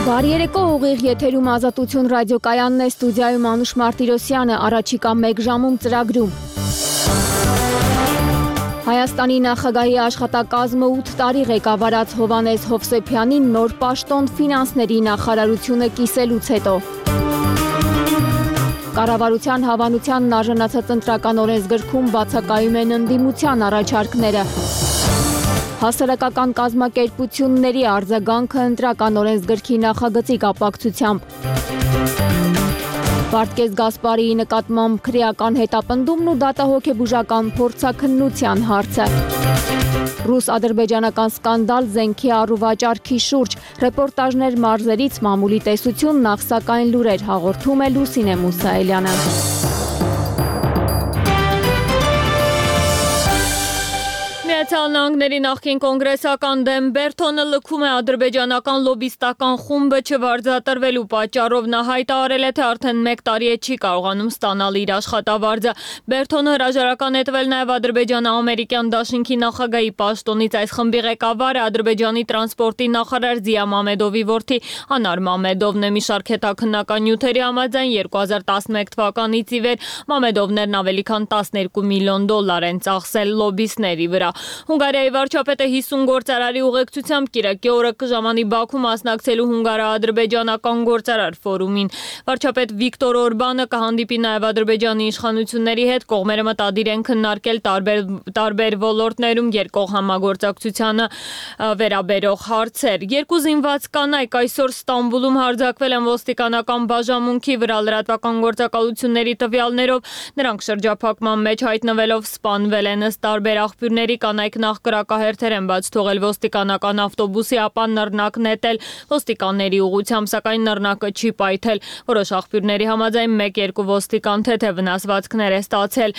Բարի երեկո, ուղիղ եթերում Ազատություն ռադիոկայանն է, ստուդիայում Անուշ Մարտիրոսյանը, առաջիկա 1 ժամում ծրագրում։ Հայաստանի նախագահի աշխատակազմը 8 տարի ղեկավարած Հովհաննես Հովսեփյանին նոր պաշտոն ֆինանսների նախարարությունը կիսելուց հետո։ Կառավարության հավանությանն արժանացած ընտրական օրենսգրքում բացակայում են ընդդիմության առաջարկները։ Հասարակական կազմակերպությունների արձագանքը ընտրական օրենսգրքի նախագծի կապակցությամբ։ Վարդգես Գասպարիի նկատմամբ քրեական հետապնդումն ու դատահոգեբուժական փորձաքննության հարցը։ Ռուս-ադրբեջանական սկանդալ զենքի առուվաճառքի շուրջ, ռեպորտաժներ մարզերից մամուլի տեսություն, նախ սակայն լուրեր, հաղորդում է Լուսինե Մուսայելյանը։ Միացյալ Նահանգների նախկին կոնգրեսական դեմ Բերթոնը լքում է ադրբեջանական լոբիստական խումբը չվարձատրվելու պատճառով նա հայտարարել է, թե արդեն 1 տարի է չի կարողանում ստանալ իր աշխատավարձը։ Բերթոնը հրաժարական է տվել նաև ադրբեջանա-ամերիկյան դաշինքի նախագահի պաշտոնից։ Այս խմբի ղեկավարը ադրբեջանի տրանսպորտի նախարար Զիա Մամեդովի որդի Անար Մամեդովն է։ Մի շարք հետաքննական նյութերի համաձայն 2011 թվականից ի վեր Մամեդովներն ավելի քան $12 միլիոն են ծախսել լոբիստների վրա։ Հունգարիայի վարչապետը 50 գործարարի ուղեկցությամբ կիրակի օրը կժամանի Բաքու մասնակցելու հունգարա-ադրբեջանական գործարար ֆորումին։ Վարչապետ Վիկտոր Օրբանը կհանդիպի նաև Ադրբեջանի իշխանությունների հետ, կողմերը մտադիր են քննարկել տարբեր ոլորտներում երկկողմ համագործակցությանը վերաբերող հարցեր։ 2 զինված կանայք այսօր Ստամբուլում հարձակվել են ոստիկանական բաժանմունքի վրա լրատվական գործակալությունների տվյալներով։ Նրանք շրջափակման մեջ հայտնվելով սպանվել են։ Ըստ տարբեր աղբյուրների կանայք նախ կրակահերթեր են բաց թողել ոստիկանական ավտոբուսի, ապա նռնակ նետել ոստիկանների ուղղությամբ, սակայն նռնակը չի պայթել։ Որոշ աղբյուրների համաձայն 1-2 ոստիկան թեթև վնասվածքներ է ստացել։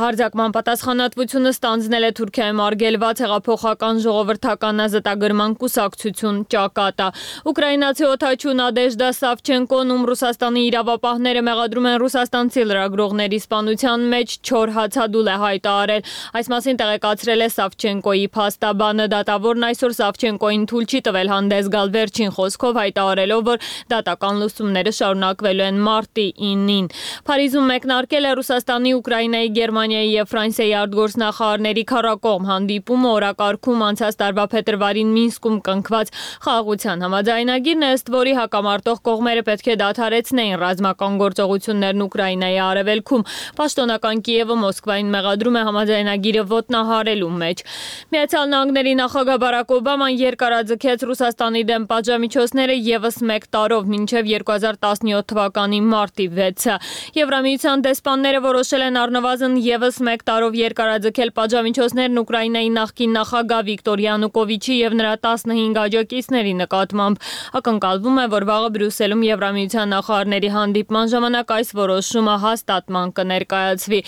Հարձակման պատասխանատվությունը ստանձնել է Թուրքիայում արգելված հեղափոխական ժողովրդական ազատագրման կուսակցություն Ճակատա։ Ուկրաինացի օդաչու Նադեժդա Սավչենկոն, ում Ռուսաստանի իրավապահները մեղադրում են ռուսաստանցի լրագրողների սպանության մեջ, չոր հացադուլ է հայտարարել։ Այս մասին տեղեկացրել է Սավչենկոյի փաստաբանը։ Դատավորն այսօր Սավչենկոյին թույլ չի տվել հանդես գալ, վերջին խոսքով հայտարարելով, որ դատական լուծումները շարունակվելու են մարտի 9-ին։ Փարիզում մեկնարկել է Ռուսաստանի, Ուկրաինայի, Գերմանիայի եւ Ֆրանսիայի արտգործնախարարների քառակողմ հանդիպումը։ Օրակարգում անցած տարվա փետրվարին Մինսկում կնքված խաղաղության համաձայնագիրն է, ըստ որի հակամարտող կողմերը պետք է դադարեցնեին ռազմական գործողություններն Ուկրաինայի արևելքում։ Պաշտոնական Կիևը Մոսկվային մեղադրում է համաձայնագիրը ոտնահարելու մեջ։ Միացյալ Նահանգների նախագահ Բարակ Օբաման երկարաձգեց Ռուսաստանի դեմ պատժամիջոցները ևս 1 տարով մինչև 2017 թվականի մարտի 6-ը։ Եվրամիության դեսպանները որոշել են առնվազն ևս 1 տարով երկարաձգել պատժամիջոցներն Ուկրաինայի նախկին նախագահ Վիկտոր Յանուկովիչի եւ նրա 15 աջակիցների նկատմամբ։ Ակնկալվում է, որ վաղը Բրյուսելում Եվրամիության նախարարների հանդիպման ժամանակ այս որոշումը հաստատման կներկայացվի։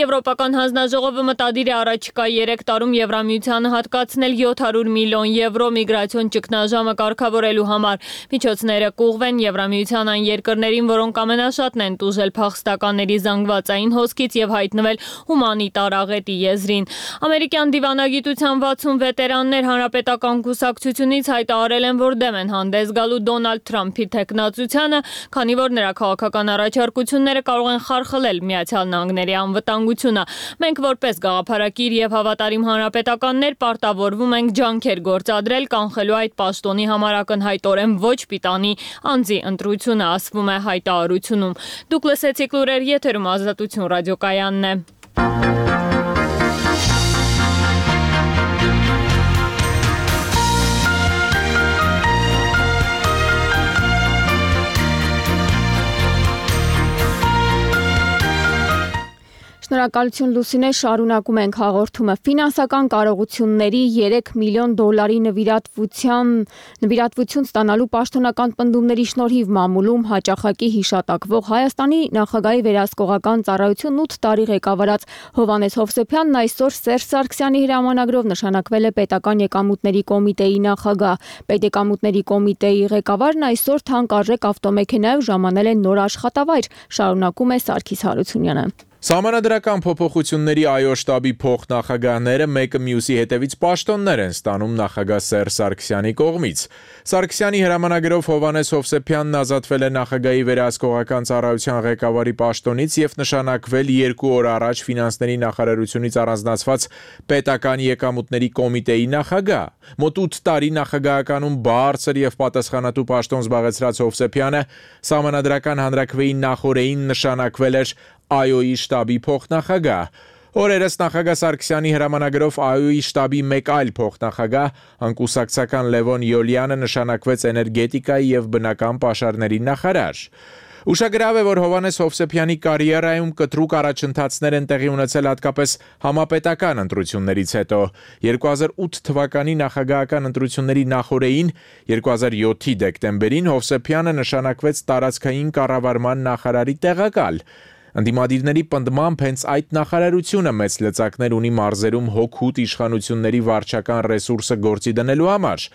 Եվրոպական հանձնաժողովը մտադիր է առաջիկա 3 տարում Եվրամիությանը հատկացնել 700 միլիոն եվրո միգրացիոն ճգնաժամը կարգավորելու համար։ Միջոցները կուղղվեն Եվրամիության այն երկրներին, որոնք ամենաշատն են տուժել փախստականների զանգվածային հոսքից եւ հայտնվել հումանիտար աղետի եզրին։ Ամերիկյան դիվանագիտության 60 վետերաններ հանրապետական կուսակցությունից հայտարարել են, որ դեմ են հանդես գալու Դոնալդ Թրամփի թեկնածությանը, քանի որ նրա քաղաքական առաջարկությունները կարող են խարխլել Միացյալ Նահանգների անվտանգությունը։ Մենք որպես գաղափարակիր եւ հավատարիմ հանրապետականներ պարտավորվում ենք ջանքեր գործադրել կանխելու այդ պաշտոնի համար ակնհայտորեն ոչ պիտանի անձի ընտրությունը, ասվում է հայտարարությունում։ Դուք լսեցիք լուրեր, եթերում Ազատություն ռադիոկայանն է։ Շնորհակալություն Լուսինե, շարունակում ենք հաղորդումը։ Ֆինանսական կարողությունների $3 միլիոն նվիրատվություն ստանալու պաշտոնական պնդումների շնորհիվ մամուլում հաճախակի հիշատակվող Հայաստանի նախագահի վերահսկողական ծառայությունն 8 տարի ղեկավարած Հովհաննես Հովսեփյանն այսօր Սերժ Սարգսյանի հրամանագրով նշանակվել է Պետական եկամուտների կոմիտեի նախագահ։ Պետեկամուտների կոմիտեի ղեկավարն այսօր թանկարժեք ավտոմեքենայով ժամանել է նոր աշխատավայր, շարունակում է Սարգիս Հարությունյանը։ Սահմանադրական փոփոխությունների ԱՅՈ շտաբի փոխնախագահները մեկը մյուսի հետևից պաշտոններ են ստանում նախագահ Սերժ Սարգսյանի կողմից։ Սարգսյանի հրամանագրով Հովհաննես Հովսեփյանն ազատվել է նախագահի վերահսկողական ծառայության ղեկավարի պաշտոնից եւ նշանակվել 2 օր առաջ ֆինանսների նախարարությունից առանձնացված պետական եկամուտների կոմիտեի նախագահ։ Մոտ 8 տարի նախագահականում բարձր եւ պատասխանատու պաշտոն զբաղեցրած Հովսեփյանը Սահմանադրական հանրաքվեի նախօրեին նշանակվել էր ԱՅՈ-ի շտաբի փոխնախագահ։ Օրերս նախագահ Սարգսյանի հրամանագրով ԱՅՈ-ի շտաբի մեկ այլ փոխնախագահ, անկուսակցական Լևոն Յոլյանը նշանակվեց էներգետիկայի եւ բնական պաշարների նախարար։ Ուշագրավ է, որ Հովհաննես Հովսեփյանի կարիերայում կտրուկ առաջընթացներ են տեղի ունեցել հատկապես համապետական ընտրություններից հետո։ 2008 թվականի նախագահական ընտրությունների նախօրեին 2007-ի դեկտեմբերին Հովսեփյանը նշանակվեց տարածքային կառավարման նախարարի տեղակալ։ Ընդդիմադիրների պնդմամբ հենց այդ նախարարությունը մեծ լծակներ ունի մարզերում հոգուտ իշխանությունների վարչական ռեսուրսը գործի դնելու համար։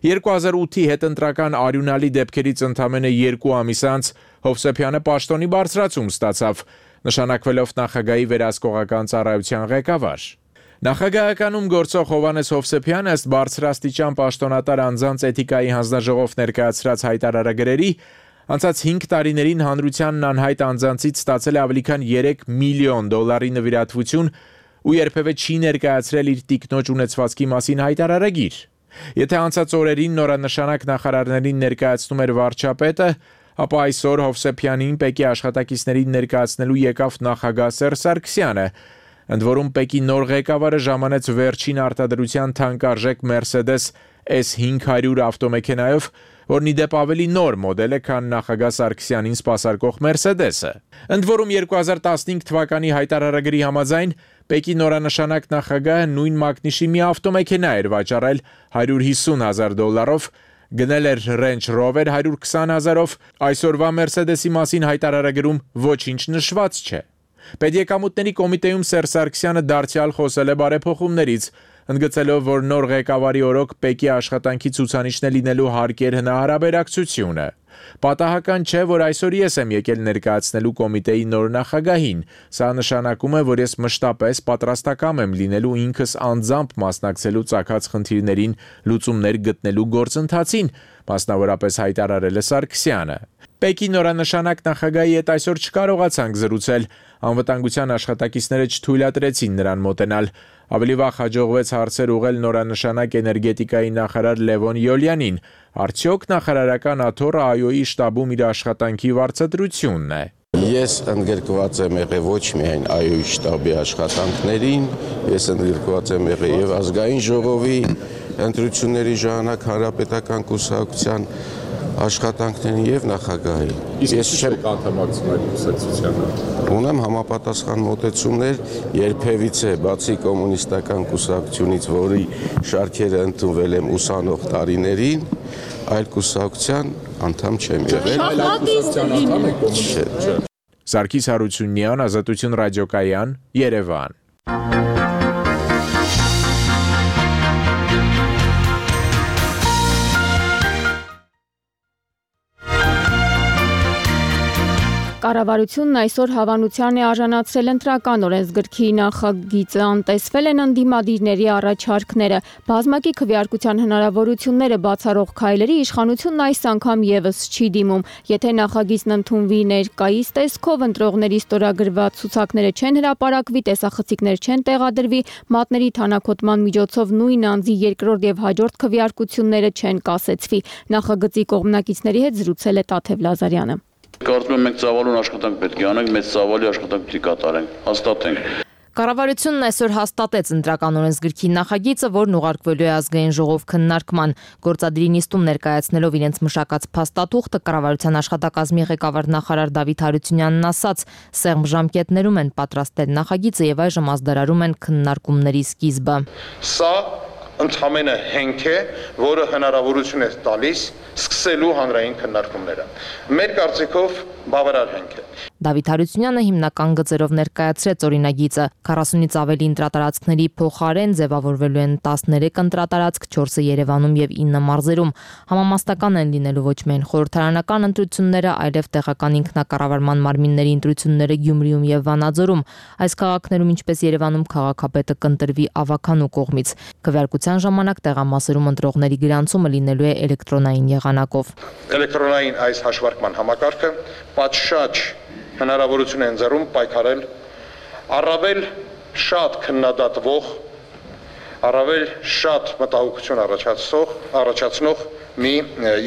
2008-ի հետընտրական արյունալի դեպքերից ընդամենը 2 ամիս անց Հովսեփյանը պաշտոնի բարձրացում ստացավ, նշանակվելով նախագահի վերահսկողական ծառայության ղեկավար։ Նախագահականում գործող Հովհաննես Հովսեփյանը ըստ բարձրաստիճան պաշտոնատար անձանց էթիկայի հանձնաժողով ներկայացրած հայտարարագրերի անցած 5 տարիներին հանրությանն անհայտ անձանցից ստացել է ավելի քան $3 միլիոն նվիրատվություն ու երբևէ չի ներկայացրել իր տիկնոջ ունեցվածքի մասին հայտարարագիր։ Եթե անցած օրերին նորանշանակ նախարարներին ներկայացնում էր վարչապետը, ապա այսօր Հովսեփյանին Պեկի աշխատակիցներին ներկայացնելու եկավ նախագահ Սերժ Սարգսյանը, ընդ որում Պեկի նոր ղեկավարը ժամանեց վերջին արտադրության թանկարժեք Mercedes S500 ավտոմեքենայով, որն ի դեպ ավելի նոր մոդել է, քան նախագահ Սարգսյանին սպասարկող Mercedes-ը։ Ընդ որում 2015 թվականի հայտարարագրի համաձայն Պեկի նորանշանակ նախագահը նույն մակնիշի մի ավտոմեքենա էր վաճառել $150,000, գնել էր Range Rover 120,000-ով, այսօրվա Mercedes-ի մասին հայտարարագրում ոչինչ նշված չէ։ Պետեկամուտների կոմիտեում Սերժ Սարգսյանը դարձյալ խոսել է բարեփոխումներից, ընդգծելով, որ նոր ղեկավարի օրոք Պեկի աշխատանքի ցուցանիշն է լինելու հարկեր հնարաբերակցությունը։ Պատահական չէ, որ այսօր ես եմ եկել ներկայացնելու կոմիտեի նոր նախագահին։ Սա նշանակում է, որ ես մշտապես պատրաստակամ եմ լինելու ինքս անձամբ մասնակցելու ծագած խնդիրներին լուծումներ գտնելու գործընթացին, մասնավորապես հայտարարել է Սարգսյանը։ Պեկի նորանշանակ նախագահի հետ այսօր չկարողացանք զրուցել, անվտանգության աշխատակիցները չթույլատրեցին նրան մոտենալ։ Ավելի վաղ հաջողվեց հարցեր ուղղել նորանշանակ էներգետիկայի նախարար Լևոն Յոլյանին։ Արդյոք նախարարական աթոռը ԱՅՈ-ի շտաբում իր աշխատանքի վարձատրությունն է։ Ես ընդգրկված եմ եղել ոչ միայն ԱՅՈ-ի շտաբի աշխատանքներին, ես ընդգրկված եմ եղել եւ ազգային ժողովի ընտրությունների ժամանակ հանրապետական կուսակցության աշխատանքներին եւ նախագահի։ Ես չեմ անդամակցում այդ կուսակցությանը։ Ունեմ համապատասխան մոտեցումներ, երբևիցե բացի կոմունիստական կուսակցությունից, որի շարքերը ընդունվել եմ ուսանող տարիներին, այլ կուսակցության անդամ չեմ եղել։ Այլ կուսակցության անդամ եք կոմունիստ։ Սարգիս Հարությունյան, Ազատություն ռադիոկայան, Երևան։ Կառավարությունն այսօր հավանության է արժանացրել ընտրական օրենսգրքի նախագիծը, անտեսվել են ընդդիմադիրների առաջարկները, բազմակի քվեարկության հնարավորությունները բացառող քայլերի իշխանությունն այս անգամ եւս չի դիմում։ Եթե նախագիծն ընդունվի ներկայիս տեսքով, ընտրողների ստորագրված ցուցակները չեն հրապարակվի, տեսախցիկներ չեն տեղադրվի, մատների թանաքոտման միջոցով նույն անձի երկրորդ եւ հաջորդ քվեարկությունները չեն կասեցվի։ Նախագծի կողմնակիցների հետ զրուցել է Տաթև Լազարյանը։ Կարծում եմ մենք ծավալուն աշխատանք պետք է անենք, մեծ ծավալի աշխատանք պետք է կատարենք, հաստատենք։ Կառավարությունն այսօր հաստատեց ընտրական օրենսգրքի նախագիծը, որն ուղարկվելու է ազգային ժողով քննարկման։ Գործադիրի նիստում ներկայացնելով իրենց մշակած փաստաթուղթը, կառավարության աշխատակազմի ղեկավար նախարար Դավիթ Հարությունյանն ասաց, սեղմ ժամկետներում են պատրաստել նախագիծը եւ այժմ ազդարարում են քննարկումների սկիզբը։ Սա ընդհանրապես հենք է, որը հնարավորություն է տալիս սկսելու հանրային քննարկումները։ Մեր կարծիքով բավարար հենք է։ Դավիթ Հարությունյանը հիմնական գծերով ներկայացրեց օրինագիծը։ 40-ից ավելի ընտրատարածքների փոխարեն ձևավորվելու են 13 ընտրատարածք, 4-ը Երևանում եւ 9 մարզերում։ Համամասնական են լինելու ոչ միայն խորհրդարանական ընտրությունները, այլև տեղական ինքնակառավարման մարմինների ընտրությունները Գյումրիում եւ Վանաձորում։ Այս քաղաքներում, ինչպես Երևանում, քաղաքապետը կընտրվի ավականու կողմից։ Քվեարկության ժամանակ տեղամասերում ընտրողների գրանցումը լինելու է էլեկտրոնային եղանակով։ Էլեկտրոնային այս հաշվարկման համակարգը պատշաճ հնարավորություն է ընձեռում պայքարել առավել շատ քննադատվող, առավել շատ մտահոգություն առաջացնող մի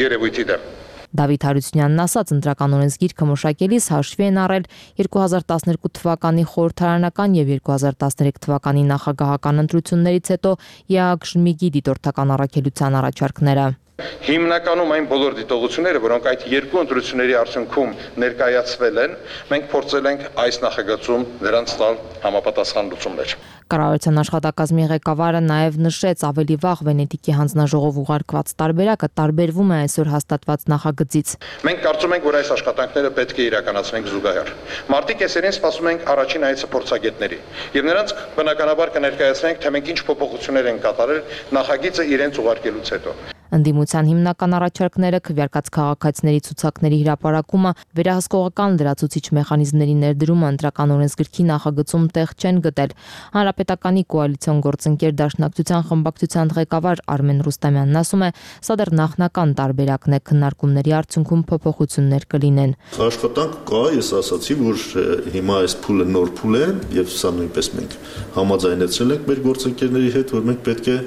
երևույթի դեմ։ Դավիթ Հարությունյանն ասաց, ընտրական օրենսգիրքը մշակելիս հաշվի են առել 2012 թվականի խորհրդարանական եւ 2013 թվականի նախագահական ընտրություններից հետո ԵԱԳ-ԺՄԻԳ-ի դիտորդական առաքելության առաջարկները։ Հիմնականում այն բոլոր դիտողությունները, որոնք այդ երկու ընտրությունների արդյունքում ներկայացվել են, մենք փորձել ենք այս նախագծում նրանց տալ համապատասխան լուծումներ։ Կառավարության աշխատակազմի ղեկավարը նաև նշեց, ավելի վաղ Վենետիկի հանձնաժողով ուղարկված տարբերակը տարբերվում է այսօր հաստատված նախագծից։ Մենք կարծում ենք, որ այս աշխատանքները պետք է իրականացնենք զուգահեռ։ Մարտի կեսերին սպասում ենք առաջին այցը փորձագետների, եւ նրանց բնականաբար կներկայացնենք, թե մենք ինչ փոփոխություններ ենք կատարել նախագիծը իրենց ուղարկելուց հետո։ Ընդդիմության հիմնական առաջարկները քվեարկած քաղաքացիների ցուցակների հրապարակումը, վերահսկողական լրացուցիչ մեխանիզմների ներդրումը ընտրական օրենսգրքի նախագծում տեղ չեն գտել։ Հանրապետականի կոալիցիոն գործընկեր Դաշնակցության խմբակցության ղեկավար Արմեն Ռուստամյանն ասում է, սա դեռ նախնական տարբերակն է, քննարկումների արդյունքում փոփոխություններ կլինեն։ Աշխատանք կա, ես ասացի, որ հիմա այս փուլը նոր փուլ է եւ սա նույնպես մենք համաձայնեցրել ենք մեր գործընկերների հետ, որ մենք պետք է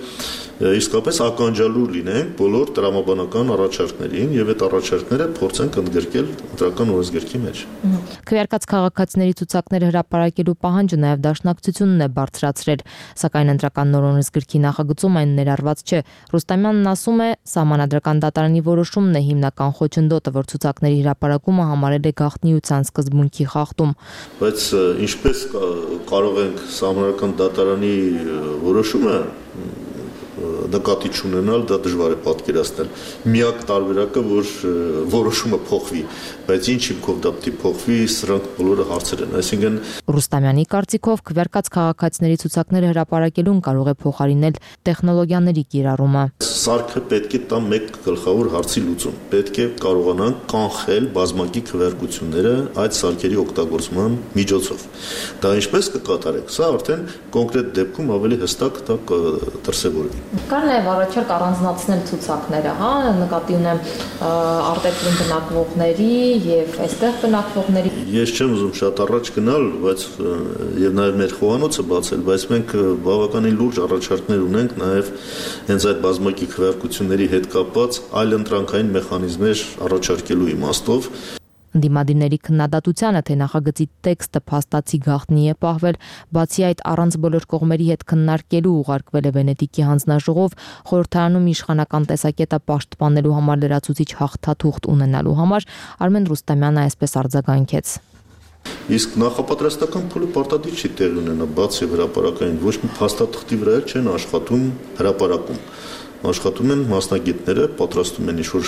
իսկապես ականջալուր լինենք բոլոր տրամաբանական առաջարկներին եւ այդ առաջարկները փորձենք ընդգրկել ընտրական օրենսգրքի մեջ։ Քվեարկած քաղաքացիների ցուցակները հրապարակելու պահանջը նաեւ Դաշնակցությունն է բարձրացրել, սակայն ընտրական նոր օրենսգրքի նախագծում այն ներառված չէ։ Ռուստամյանն ասում է, Սահմանադրական դատարանի որոշումն է հիմնական խոչընդոտը, որ ցուցակների հրապարակումը համարել է գաղտնիության սկզբունքի խախտում։ Բայց ինչպես կարող ենք Սահմանադրական դատարանի որոշումը նկատի չունենալ, դա դժվար է պատկերացնել։ Միակ տարբերակը, որ որոշումը փոխվի, բայց ինչ հիմքով դա պետք է փոխվի, սրանք բոլորը հարցեր են։ Այսինքն Ռուստամյանի կարծիքով քվեարկած քաղաքացիների ցուցակները հրապարակելուն կարող է փոխարինել տեխնոլոգիաների կիրառումը։ Սարքը պետք է տա մեկ գլխավոր հարցի լուծում։ Պետք է կարողանան կանխել բազմակի քվեարկությունները այդ սարքերի օգտագործման միջոցով։ Դա ինչպես կկատարեք, սա արդեն կոնկրետ դեպքում ավելի հստակ դա կդրսևորվի։ Կար նաև առաջարկ առանձնացնել ցուցակները, հա, նկատի ունեմ արտերկրում բնակվողների եւ այստեղ բնակվողների։ Ես չեմ ուզում շատ առաջ գնալ, բայց եւ նաեւ մեր խոհանոցը բացել, բայց մենք բավականին լուրջ առաջարկներ ունենք նաեւ հենց այդ բազմակի քվեարկությունների հետ կապված այլ ընտրանքային մեխանիզմներ առաջարկելու իմաստով։ Ընդդիմադիրների քննադատությանը, թե նախագծի տեքստը փաստացի գաղտնի է պահվել, բացի այդ առանց բոլոր կողմերի հետ քննարկելու ուղարկվել է Վենետիկի հանձնաժողով, խորհրդարանում իշխանական տեսակետը պաշտպանելու համար լրացուցիչ հաղթաթուղթ ունենալու համար Արմեն Ռուստամյանը այսպես արձագանքեց։ Իսկ նախապատրաստական փուլը պարտադիր չի տեղ ունենա, բացի հրապարակային, ոչ մի փաստաթղթի վրա չեն աշխատում հրապարակում։ Աշխատում են մասնագետները, պատրաստում են ինչ-որ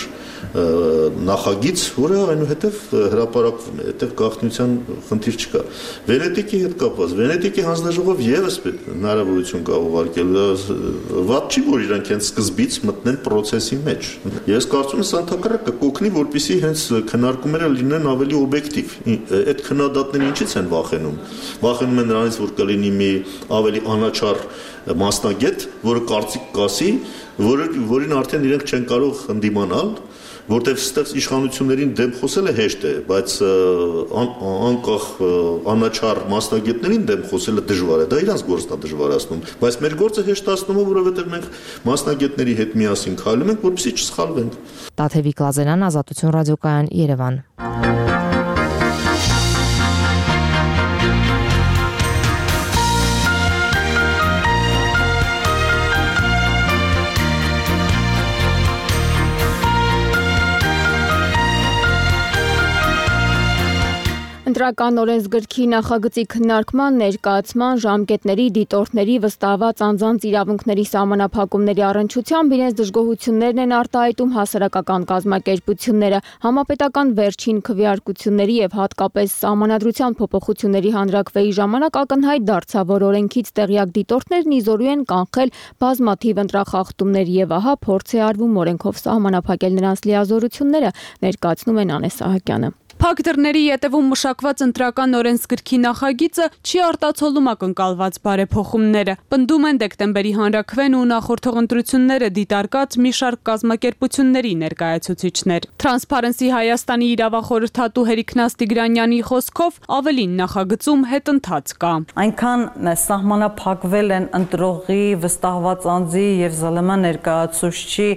նախագիծ, որը այնուհետև հրապարակվում է, այդտեղ գաղտնիության խնդիր չկա։ Վենետիկի հետ կապված, Վենետիկի հանձնաժողով եւս հնարավորություն կա ուղարկել, վատ չի, որ իրանք հենց սկզբից մտնեն process-ի մեջ։ Ես կարծում եմ, սա ընդհանրապես կօգնի, որպեսզի հենց քննարկումները լինեն ավելի օբյեկտիվ։ Այդ քննադատները ինչից են վախենում։ Վախենում են նրանից, որ կլինի մի ավելի անաչառ մասնագետ, որը կարծիք կասի, որին արդեն իրենք չեն կարող ընդդիմանալ, որտեղ ստեղ իշխանություններին դեմ խոսելը հեշտ է, բայց անկախ անաչառ մասնագետներին դեմ խոսելը դժվար է, դա իրանց գործն է դժվարացնում, բայց մեր գործը հեշտացնում է, որովհետև մենք մասնագետների հետ միասին քայլում ենք, որպեսզի չսխալվենք։ Տաթևիկ Լազարյան, Ազատություն ռադիոկայան, Երևան։ Ընտրական օրենսգրքի նախագծի քննարկման, ներկայացման, ժամկետների, դիտորդների, վստահված անձանց իրավունքների սահմանափակումների առնչությամբ իրենց դժգոհություններն են արտահայտում հասարակական կազմակերպությունները, համապետական վերջին քվեարկությունների եւ հատկապես սահմանադրության փոփոխությունների հանրաքվեի ժամանակ ակնհայտ դարձավ, որ օրենքից տեղյակ դիտորդներն իզորու են կանխել բազմաթիվ ընտրախախտումներ եւ ահա փորձ է արվում օրենքով սահմանափակել նրանց լիազորությունները, ներկայացնում են Անես Սահակյանը։ Փակ դռների ետևում մշակված ընտրական օրենսգրքի նախագիծը չի արտացոլում ակնկալված բարեփոխումները։ Պնդում են դեկտեմբերի հանրաքվեն ու նախորդող ընտրությունները դիտարկած մի շարք կազմակերպությունների ներկայացուցիչներ։ Transparency Հայաստանի իրավախորհրդատու Հերիքնաս Տիգրանյանի խոսքով ավելին նախագծում հետընթաց կա։ Այնքան սահմանափակվել են ընտրողի, վստահված անձի եւ ԶԼՄ ներկայացուցչի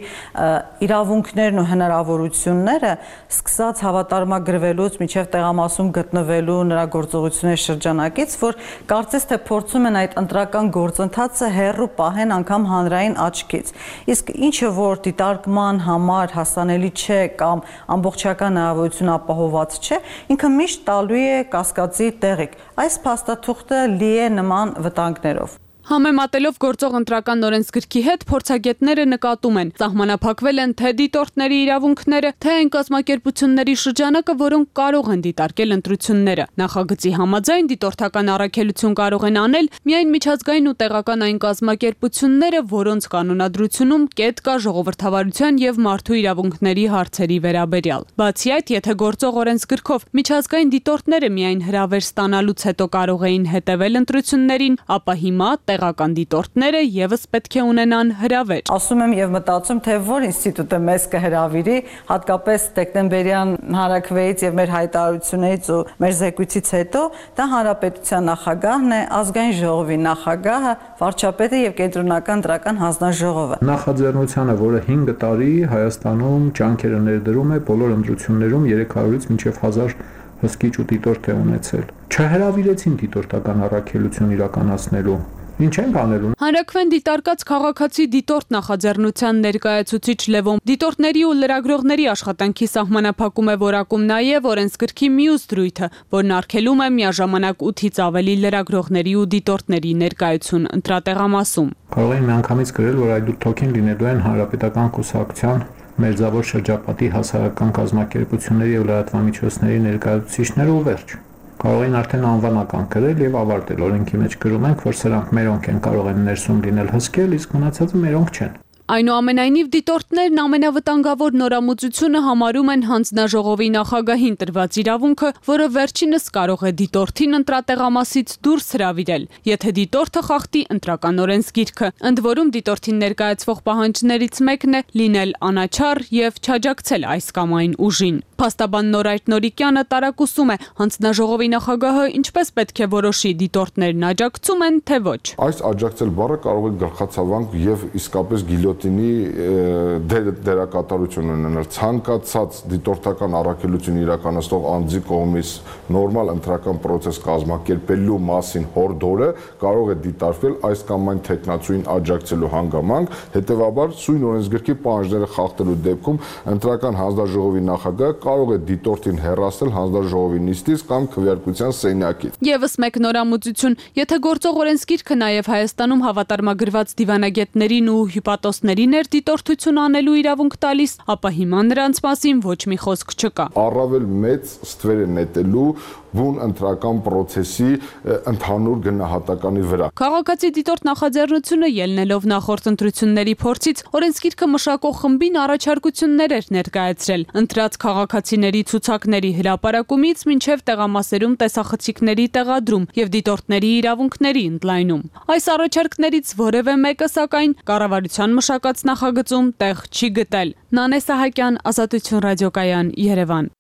իրավունքներն ու հնարավորությունները, սկսած հավատարմագրվելուց մինչև տեղամասում գտնվելու նրա գործողությունների շրջանակից, որ կարծես թե փորձում են այդ ընտրական գործընթացը հեռու պահեն անգամ հանրային աչքից։ Իսկ ինչը որ դիտարկման համար հասանելի չէ կամ ամբողջական հնարավորություն ապահոված չէ, ինքը միշտ տալու է կասկածի տեղիք։ Այս փաստաթուղթը լի է նման վտանգներով։ Համեմատելով գործող ընտրական օրենսգրքի հետ փորձագետները նկատում են, սահմանափակվել են թե դիտորդների իրավունքները, թե այն կազմակերպությունների շրջանակը, որոնք կարող են դիտարկել ընտրությունները։ Նախագծի համաձայն դիտորդական առաքելություն կարող են անել միայն միջազգային ու տեղական այն կազմակերպությունները, որոնց կանոնադրությունում կետ կա ժողովրդավարության եւ մարդու իրավունքների հարցերի վերաբերյալ։ Բացի այդ, եթե գործող օրենսգրքով միջազգային դիտորդները միայն հրավեր ստանալուց հետո կարող էին հետևել ընտրություններին, ապա հիմա տեղական դիտորդները եւս պետք է ունենան հրավեր։ Ասում եմ եւ մտածում, թե որ ինստիտուտը մեզ կհրավիրի, հատկապես դեկտեմբերյան հանրաքվեից եւ մեր հայտարարություններից ու մեր զեկույցից հետո, դա հանրապետության նախագահն է, ազգային ժողովի նախագահը, վարչապետը եւ կենտրոնական ընտրական հանձնաժողովը։ Նախաձեռնությանը, որը 5 տարի Հայաստանում ջանքերը ներդրում է բոլոր ընտրություններում 300-ից մինչև 1000 հսկիչ ու դիտորդ է ունեցել։ Չհրավիրեցին դիտորդական առաքելություն իրականացնելու։ Ինչ ենք անելու։ Հանրաքվեն դիտարկած քաղաքացի դիտորդ նախաձեռնության ներկայացուցիչ Լևոն դիտորդների ու լրագրողների աշխատանքի սահմանափակում է որակում նաև օրենսգրքի մյուս դրույթը, որն արգելում է միաժամանակ 8-ից ավելի լրագրողների ու դիտորդների ներկայություն ընտրատեղամասում։ Կարող են միանգամից գրել, որ այդ թոքին լինելու են հանրապետական կուսակցության մերձավոր շրջապատի հասարակական կազմակերպությունների եւ լրատվամիջոցների ներկայացուցիչները ու վերջ։ Կարող են արդեն անվանական գրել եւ ավարտել։ Օրենքի մեջ գրում ենք, որ սրանք մերոնք են կարող են ներսում լինել հսկել, իսկ մնացածը մերոնք չեն։ Այնուամենայնիվ դիտորդներն ամենավտանգավոր նորամուծությունը համարում են հանձնաժողովի նախագահին տրված իրավունքը, որը վերջինս կարող է դիտորդին ընտրատեղամասից դուրս հրավիրել, եթե դիտորդը խախտի ընտրական օրենսգիրքը։ Ընդ որում դիտորդին ներկայացվող պահանջներից մեկն է լինել անաչառ եւ չաջակցել այս կամ այն ուժին։ Փաստաբան Նորայր Նորիկյանը տարակուսում է հանձնաժողովի նախագահը ինչպես պետք է որոշի դիտորդներն աջակցում են, թե ոչ։ Այս աջակցել բառը կարող է գլխացավանք եւ իսկապես գիլյոտինի դերակատարություն ունենալ։ Ցանկացած դիտորդական առաքելություն իրականացնող անձի կողմից նորմալ ընտրական process կազմակերպելու մասին հորդորը կարող է դիտարկվել այս կամ այն թեկնածուին աջակցելու հանգամանք, հետեւաբար սույն օրենսգրքի պահանջները խախտելու դեպքում ընտրական հանձնաժողովի նախագահը կարող է դիտորդին հեռացնել հանձնաժողովի նիստից կամ քվեարկության սենյակից։ Եվս մեկ նորամուծություն, եթե գործող օրենսգիրքը նաև Հայաստանում հավատարմագրված դիվանագետներին ու հյուպատոսներին էր դիտորդություն անելու իրավունք տալիս, ապա հիմա նրանց մասին ոչ մի խոսք չկա։ Առավել մեծ ստվեր է նետելու բուն ընտրական process-ի ընդհանուր գնահատականի վրա։ Քաղաքացի դիտորդ նախաձեռնությունը ելնելով նախորդ ընտրությունների փորձից օրենսգիրքը մշակող խմբին առաջարկություններ էր ներկայացրել։ Ընտրած քաղաքացիների ցուցակների հրապարակումից մինչև տեղամասերում տեսախցիկների տեղադրում եւ դիտորդների իրավունքների ընդլայնում։ Այս առաջարկներից որևէ մեկը սակայն կառավարության մշակած նախագծում տեղ չի գտել։ Նանե Սահակյան, Ազատություն ռադիոկայան, Երևան։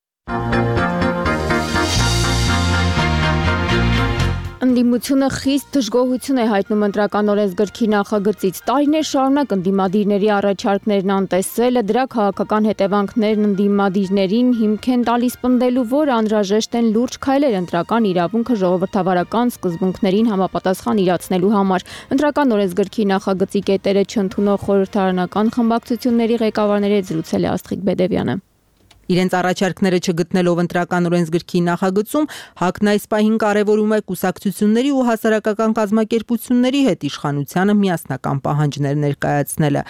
Ընդդիմությունը խիստ դժգոհություն է հայտնում ընտրական օրենսգրքի նախագծից։ Տարիներ շարունակ ընդդիմադիրների առաջարկներն անտեսելը, դրա քաղաքական հետևանքներն ընդդիմադիրներին հիմք են տալիս պնդելու, որ անհրաժեշտ են լուրջ քայլեր ընտրական իրավունքը ժողովրդավարական սկզբունքներին համապատասխան իրացնելու համար։ Ընտրական օրենսգրքի նախագծի կետերը չընդունող խորհրդարանական խմբակցությունների ղեկավարների հետ զրուցել է Աստղիկ Բեդևյանը։ Իրենց առաջարկները չգտնելով ընտրական օրենսգրքի նախագծում, ՀԱԿ-ն այս պահին կարևորում է կուսակցությունների ու հասարակական կազմակերպությունների հետ իշխանությանը միասնական պահանջներ ներկայացնելը։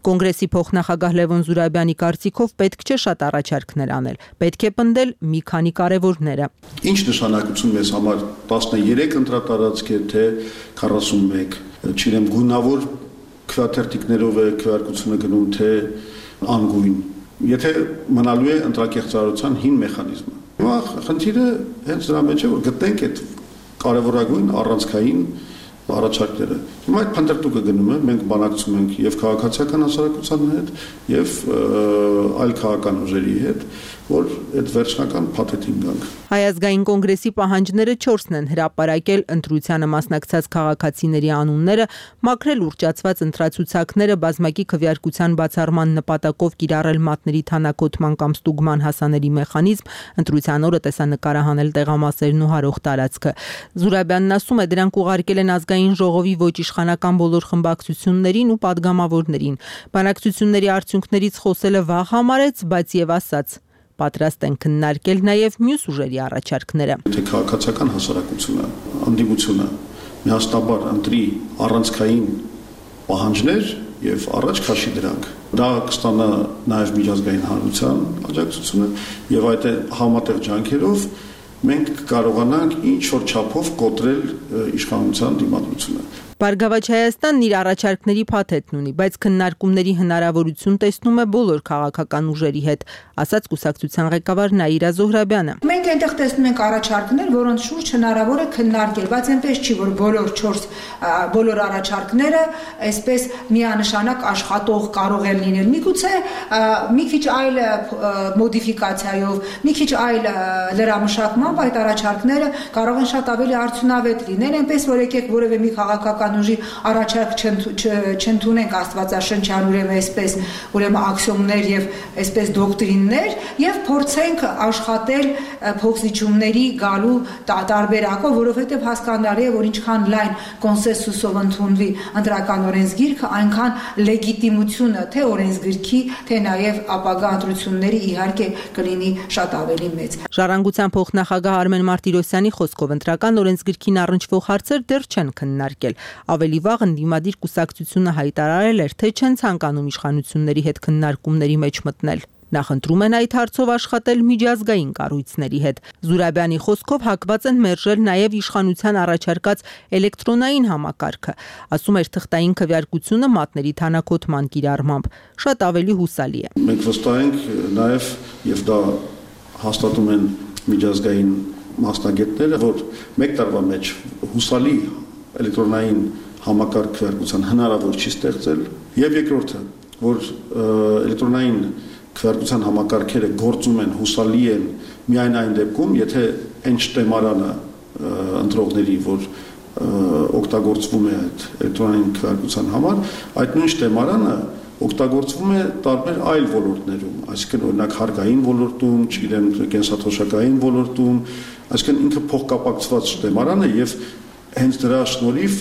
Կոնգրեսի փոխնախագահ Լևոն Զուրաբյանի կարծիքով պետք չէ շատ առաջարկներ անել, պետք է պնդել մի քանի կարևորները։ Ինչ նշանակություն մեզ համար 13 ընտրատարածք է, թե 41, չգիտեմ, գունավոր քվեաթերթիկներով է քվեարկությունը գնում, թե անգույն։ Եթե մնալու է ընտրակեղծարարության հին մեխանիզմը։ Հիմա խնդիրը հենց դրա մեջ է, որ գտնենք այդ կարևորագույն առանցքային առաջարկները։ Հիմա այդ փնտրտուկը գնում է, մենք բանակցում ենք եւ քաղաքացիական հասարակության հետ, եւ այլ քաղաքական ուժերի հետ, որ այդ վերջնական փաթեթին գանք։ Հայ ազգային կոնգրեսի պահանջները 4-ն են հրապարակել ընտրությանը մասնակցած քաղաքացիների անունները, մաքրել ուռճացված ընտրացուցակները, բազմակի քվեարկության բացառման նպատակով կիրառել մատների թանաքոտման կամ ստուգման հասանելի մեխանիզմ, ընտրության օրը տեսանկարահանել տեղամասերն ու հարող տարածքը։ Զուրաբյանն ասում է, դրանք ուղարկել են ազգային ժողովի ոչ իշխանական բոլոր խմբակցություններին ու падգամավորներին։ Բանակցությունների արդյունքներից խոսելը վաղ համարեց, բայց եւ ասաց. պատրաստ են քննարկել նաև մյուս ուժերի առաջարկները։ Թե քաղաքացիական հասարակությունը, անդիմությունը միասնաբար ընտրի առանցքային պահանջներ եւ առաջ քաշի դրանք։ Դա կստանա նաև միջազգային հանրության աջակցությունը եւ այդ համատեղ ջանքերով մենք կարողանանք ինչ որ չափով կոտրել իշխանության դիմադրությունը։ Բարգավաճ Հայաստանն իր առաջարկների փաթեթն ունի, բայց քննարկումների հնարավորություն տեսնում է բոլոր քաղաքական ուժերի հետ, ասաց կուսակցության ղեկավար Նաիրա Զոհրաբյանը։ Մենք այնտեղ տեսնում ենք առաջարկներ, որոնց շուրջ հնարավոր է քննարկել, բայց այնպես չի, որ բոլոր առաջարկները այսպես միանշանակ աշխատող կարող են լինել։ Միգուցե մի քիչ այլ մոդիֆիկացիայով, մի քիչ այլ լրամշակմամբ այդ առաջարկները կարող են շատ ավելի արդյունավետ լինել, այնպես որ եկեք որևէ մի քաղաքական ուժի առաջարկ չընդունենք աստվածաշնչյան ուրեմն աքսիոմներ եւ այսպես դոկտրիններ եւ փորձենք աշխատել փոխզիջումների գալու տարբերակով, որովհետեւ հասկանալի է, որ ինչքան լայն կոնսենսուսով ընդունվի ընտրական օրենսգիրքը, այնքան լեգիտիմությունը թե օրենսգիրքի, թե նաեւ ապագա ընտրությունների իհարկե կլինի շատ ավելի մեծ։ Ժառանգության փոխնախագահ Արմեն Մարտիրոսյանի խոսքով ընտրական օրենսգիրքին առնչվող հարցեր դեռ չեն քննարկել։ Ավելի վաղ ընդդիմադիր կուսակցությունը հայտարարել էր, թե չեն ցանկանում իշխանությունների հետ քննարկումների մեջ մտնել։ Նախընտրում են այդ հարցով աշխատել միջազգային կառույցների հետ։ Զուրաբյանի խոսքով հակված են մերժել նաև իշխանության առաջարկած էլեկտրոնային համակարգը։ Ասում էր, թղթային քվեարկությունը մատների թանաքոտման կիրառմամբ շատ ավելի հուսալի է։ Մենք վստահ ենք նաև եւ դա հաստատում են միջազգային մասնագետները, որ մեկ տարվա մեջ հուսալի էլեկտրոնային համակարգ քվեարկության հնարավոր չի ստեղծել, եւ երկրորդը, որ էլեկտրոնային քվեարկության համակարգերը գործում են, հուսալի են միայն այն դեպքում, եթե այն շտեմարանը ընտրողների, որ օգտագործվում է այդ էլեկտրոնային քվեարկության համար, այդ նույն շտեմարանը օգտագործվում է տարբեր այլ ոլորտներում, այսինքն օրինակ հարկային ոլորտում, չգիտեմ, կենսաթոշակային ոլորտում, այսինքն ինքը փոխկապակցված շտեմարան է եւ հենց դրա շնորհիվ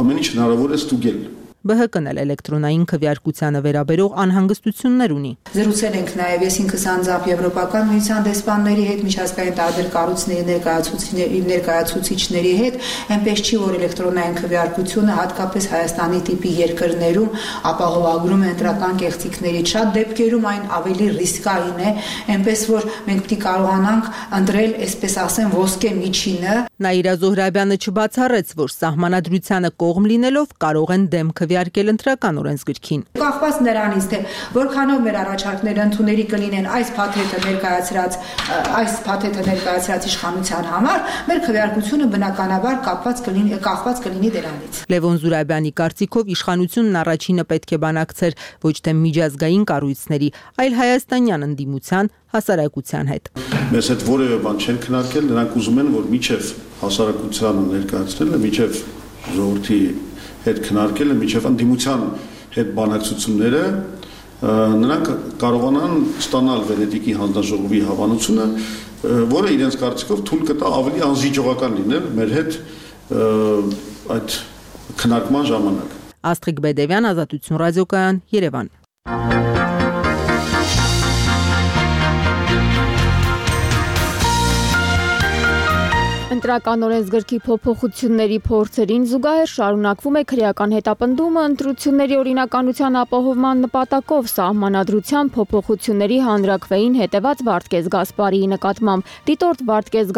ամեն ինչ հնարավոր է ստուգել։ ԲՀԿ-ն էլ էլեկտրոնային քվեարկությանը վերաբերող անհանգստություններ ունի։ Զրուցել ենք նաև ես ինքս անձամբ Եվրոպական միության դեսպանների հետ, միջազգային տարբեր կառույցների ներկայացուցիչների հետ, այնպես չի, որ էլեկտրոնային քվեարկությունը հատկապես Հայաստանի տիպի երկրներում ապահովագրում է ընտրական կեղծիքներից, շատ դեպքերում այն ավելի ռիսկային է, այնպես որ մենք պետք է կարողանանք ընտրել, այսպես ասեմ, ոսկե միջինը։ Նաիրա Զոհրաբյանը չբացառեց, որ սահմանադրությանը կողմ լինելով կարող են դեմ քվեարկել ընտրական օրենսգրքին։ Կախված նրանից, թե որքանով մեր առաջարկները ընդունելի կլինեն այս փաթեթը ներկայացրած իշխանության համար, մեր քվեարկությունը բնականաբար կախված կլինի դրանից։ Լևոն Զուրաբյանի կարծիքով իշխանությունն առաջինը պետք է բանակցեր ոչ թե միջազգային կառույցների, այլ հայաստանյան ընդդիմության, հասարակության հետ։ Մեզ հետ որևէ բան չեն քննարկել, նրանք ուզում են, որ միջև հասարակությանը ներկայացնելը, միջև ժողովրդի հետ քննարկելը, միջև ընդդիմության հետ բանակցությունները, նրանք կարողանան ստանալ Վենետիկի հանձնաժողովի հավանությունը, որը իրենց կարծիքով թույլ կտա ավելի անզիջողական լինել մեր հետ այդ քննարկման ժամանակ։ Աստղիկ Բեդևյան, Ազատություն ռադիոկայան, Երևան։ Ընտրական օրենսգրքի փոփոխությունների փորձերին զուգահեռ շարունակվում է քրեական հետապնդումը ընտրությունների օրինականության ապահովման նպատակով սահմանադրության փոփոխությունների հանրաքվեին հետևած Վարդգես Գասպարիի նկատմամբ։ Դիտորդ Վարդգես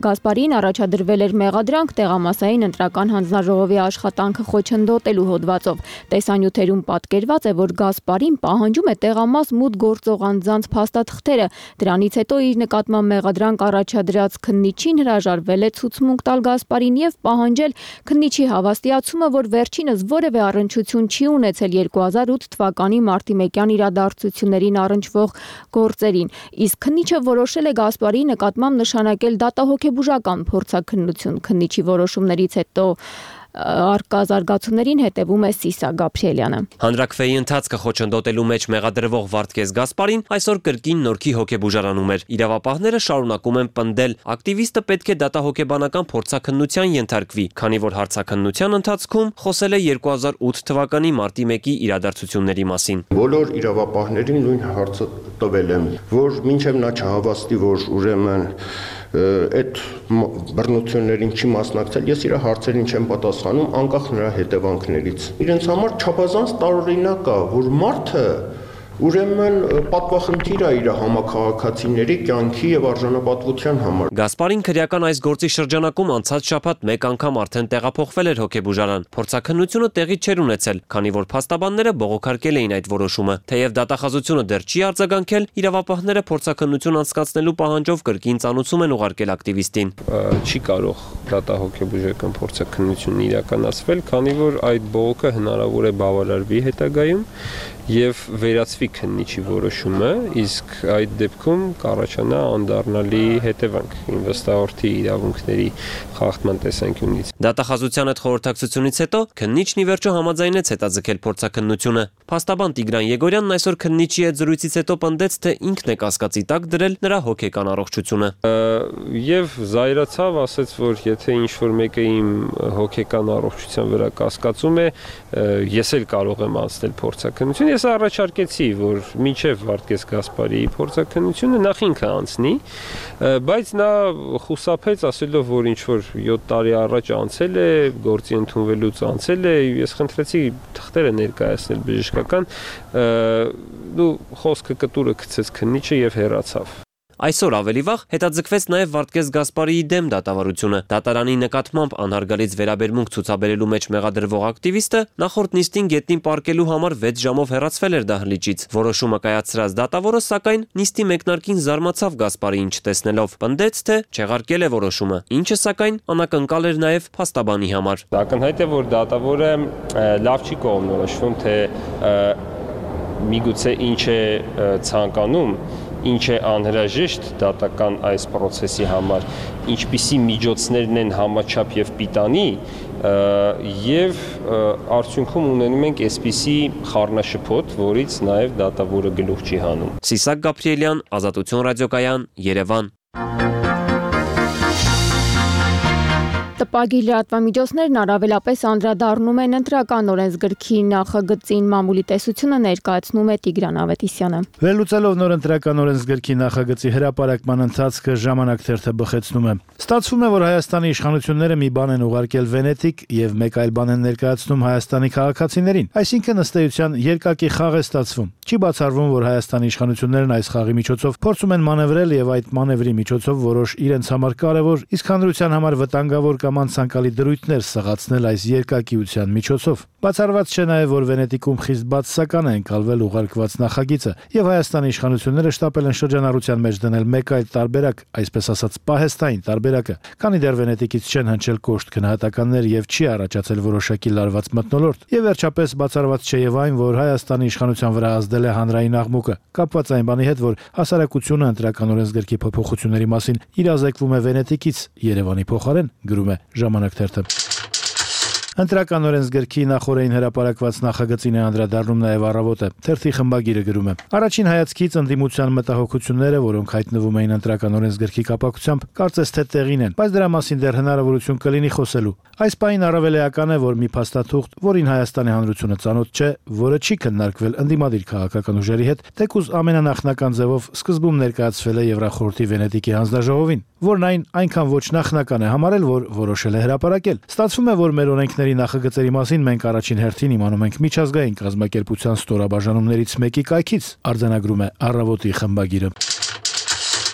Գասպարիին առաջադրվել էր մեղադրանք տեղամասային ընտրական հանձնաժողովի աշխատանքը խոչընդոտելու հոդվածով։ Տեսանյութերում պատկերված է, որ Գասպարին պահանջում է տեղամաս մուտք գործող անձանց փաստաթղթերը։ Դրանից հետո իր նկատմամբ մեղադրանք առաջադրած քննիչին հրաժարվել է ցուցմունք տալ Գասպարին եւ պահանջել քննիչի հավաստիացումը, որ վերջինս որևէ առնչություն չի ունեցել 2008 թվականի մարտի 1-յան իրադարձություններին առնչվող գործերին։ Իսկ քննիչը որոշել է Գասպարիի նկատմամբ նշանակել դատահոգեբուժական փորձաքննություն։ Քննիչի որոշումներից հետո արկա զարգացումներին հետևում է Սիսա Գաբրիելյանը։ Հանրաքվեի ընթացքը խոչընդոտելու մեջ մեղադրվող Վարդգես Գասպարին այսօր կրկին նորքի հոգեբուժարանում էր։ Իրավապահները շարունակում են պնդել, ակտիվիստը պետք է դատահոգեբանական փորձաքննության ենթարկվի, քանի որ հարցաքննության ընթացքում խոսել է 2008 թվականի մարտի 1-ի իրադարձությունների մասին։ Բոլոր իրավապահներին նույն հարցը տվել եմ, որ մինչև նա չհավաստի, որ ուրեմն այդ բռնություններին չի մասնակցել, ես իր հարցերին չեմ պատասխանում անկախ նրա հետևանքներից։ Իրենց համար չափազանց տարօրինակ է, որ մարդը ուրեմն պատվախնդիր է իր համաքաղաքացիների կյանքի եւ արժանապատվության համար։ Գասպարին քրեական այս գործի շրջանակում անցած շաբաթ մեկ անգամ արդեն տեղափոխվել էր հոգեբուժարան։ Փորձաքննությունը տեղի չէր ունեցել, քանի որ փաստաբանները բողոքարկել էին այդ որոշումը։ Թեև դատախազությունը դեռ չի արձագանքել, իրավապահները փորձաքննություն անցկացնելու պահանջով կրկին ծանուցում են ուղարկել ակտիվիստին։ Չի կարող դատահոգեբուժական փորձաքննությունն իրականացվել, քանի որ այդ բողոքը հնարավոր է բավարարվի հետագայում եւ վերացվի քննիչի որոշումը, իսկ այդ դեպքում կառաջանա անդառնալի հետևանք ինվեստորի իրավունքների խախտման տեսանկյունից։ Դատախազության այդ խորհրդակցությունից հետո քննիչն ի վերջո համաձայնեց հետաձգել փորձաքննությունը։ Փաստաբան Տիգրան Եգորյանն այսօր քննիչի հետ զրույցից հետո պնդեց, թե ինքն է կասկածի տակ դրել նրա հոգեկան առողջությունը։ Եվ զայրացավ, ասաց, որ եթե ինչ-որ մեկը իմ հոգեկան առողջության վրա կասկածում է, ես էլ կարող եմ անցնել փորձաքննություն։ Ես առաջարկեցի, որ մինչև Վարդգես Գասպարիի փորձաքննությունը նախ ինքը անցնի, բայց նա խուսափեց ասելով, որ ինչ-որ 7 տարի առաջ անցել է, գործի ընդունվելուց անցել է, ես խնդրեցի թղթերը ներկայացնել բժշկական, խոսքը կտուրը գցեց քննիչը եւ հեռացավ։ Այսօր ավելի վաղ հետաձգվեց նաև Վարդգես Գասպարիի դեմ դատավարությունը։ Դատարանի նկատմամբ անհարգալից վերաբերմունք ցուցաբերելու մեջ մեղադրվող ակտիվիստը նախորդ նիստին գետնին պառկելու համար 6 ժամով հեռացվել էր դահլիճից։ Որոշումը կայացրած դատավորը սակայն նիստի մեկնարկին զարմացավ Գասպարիին չտեսնելով, պնդեց, թե չեղարկել է որոշումը, ինչը սակայն անակնկալ էր նաև փաստաբանի համար։ Ակնհայտ է, որ դատավորը լավ չի կողմնորոշվում, թե միգուցե ինչ է ցանկանում, ինչ է անհրաժեշտ դատական այս process-ի համար, ինչպիսի միջոցներն են համաչափ եւ պիտանի, եւ արդյունքում ունենում ենք այսպիսի խառնաշփոթ, որից նաեւ դատավորը գլուխ չի հանում։ Սիսակ Գաբրիելյան, Ազատություն ռադիոկայան, Երևան։ Տպագիր լրատվամիջոցներն առավելապես անդրադառնում են ընտրական օրենսգրքի նախագծին, մամուլի տեսությունը ներկայացնում է Տիգրան Ավետիսյանը։ Վերլուծելով նոր ընտրական օրենսգրքի նախագծի հրապարակման ընթացքը ժամանակ թերթը բխեցնում է։ Ստացվում է, որ Հայաստանի իշխանությունները մի բան են ուղարկել Վենետիկ եւ մեկ այլ բան են ներկայացնում Հայաստանի քաղաքացիներին։ Այսինքն ըստ էության երկակի խաղ է ստացվում։ Չի բացառվում, որ Հայաստանի իշխանություններն այս խաղի միջոցով փորձում են մանևրել եւ այդ մանևրի միջոցով որոշ իրենց համար կարեւոր, իսկ հանրության համար վտանգավոր կամ անցանկալի դրույթներ սղացնել այս երկակիության միջոցով։ Բացառված չէ նաև, որ Վենետիկում խիստ բացասական է ընկալվել ուղարկված նախագիծը, եւ Հայաստանի իշխանությունները շտապել են շրջանառության մեջ դնել մեկ այլ տարբերակ, այսպես ասած պահեստային տարբերակը, քանի դեռ Վենետիկից չեն հնչել կոշտ գնահատականներ եւ չի առաջացել որոշակի լարված մթնոլորտ։ Եվ վերջապես բացառված չէ եւ այն, որ Հայաստանի իշխանության վրա ազդել է հանրային աղմուկը, կապված այն բանի հետ, որ հասարակությունը ընտրական օրենսգրքի փոփոխությունների մասին իրազեկվում է Վենետիկից Երևանի փոխարեն, գրում է Ժամանակ թերթը։ Ընտրական օրենսգրքի նախորդին հրապարակված նախագծին է անդրադառնում նաև Առավոտը։ Թերթի խմբագիրը գրում է. Առաջին հայացքից ընդդիմության մտահոգությունները, որոնք հայտնվում էին ընտրական օրենսգրքի կապակցությամբ, կարծես թե տեղին են, բայց դրա մասին դեռ հնարավորություն կլինի խոսելու։ Այս պահին առավել էական է, որ մի փաստաթուղթ, որին Հայաստանի Հանրությունը ծանոթ չէ, որը չի քննարկվել ընդդիմադիր քաղաքական ուժերի հետ, թեկուզ ամենանախնական ձևով սկզբում ներկայացվել է Եվրախորհրդի Վենետիկի հանձնաժողովին, որն այնքան ոչ նախնական է համարել, որ որոշել է հրապարակել։ Ստացվում է, որ մեր օրենքների նախագծերի մասին մենք առաջին հերթին իմանում ենք միջազգային կազմակերպության ստորաբաժանումներից մեկի կայքից, արձանագրում է Առավոտի խմբագիրը։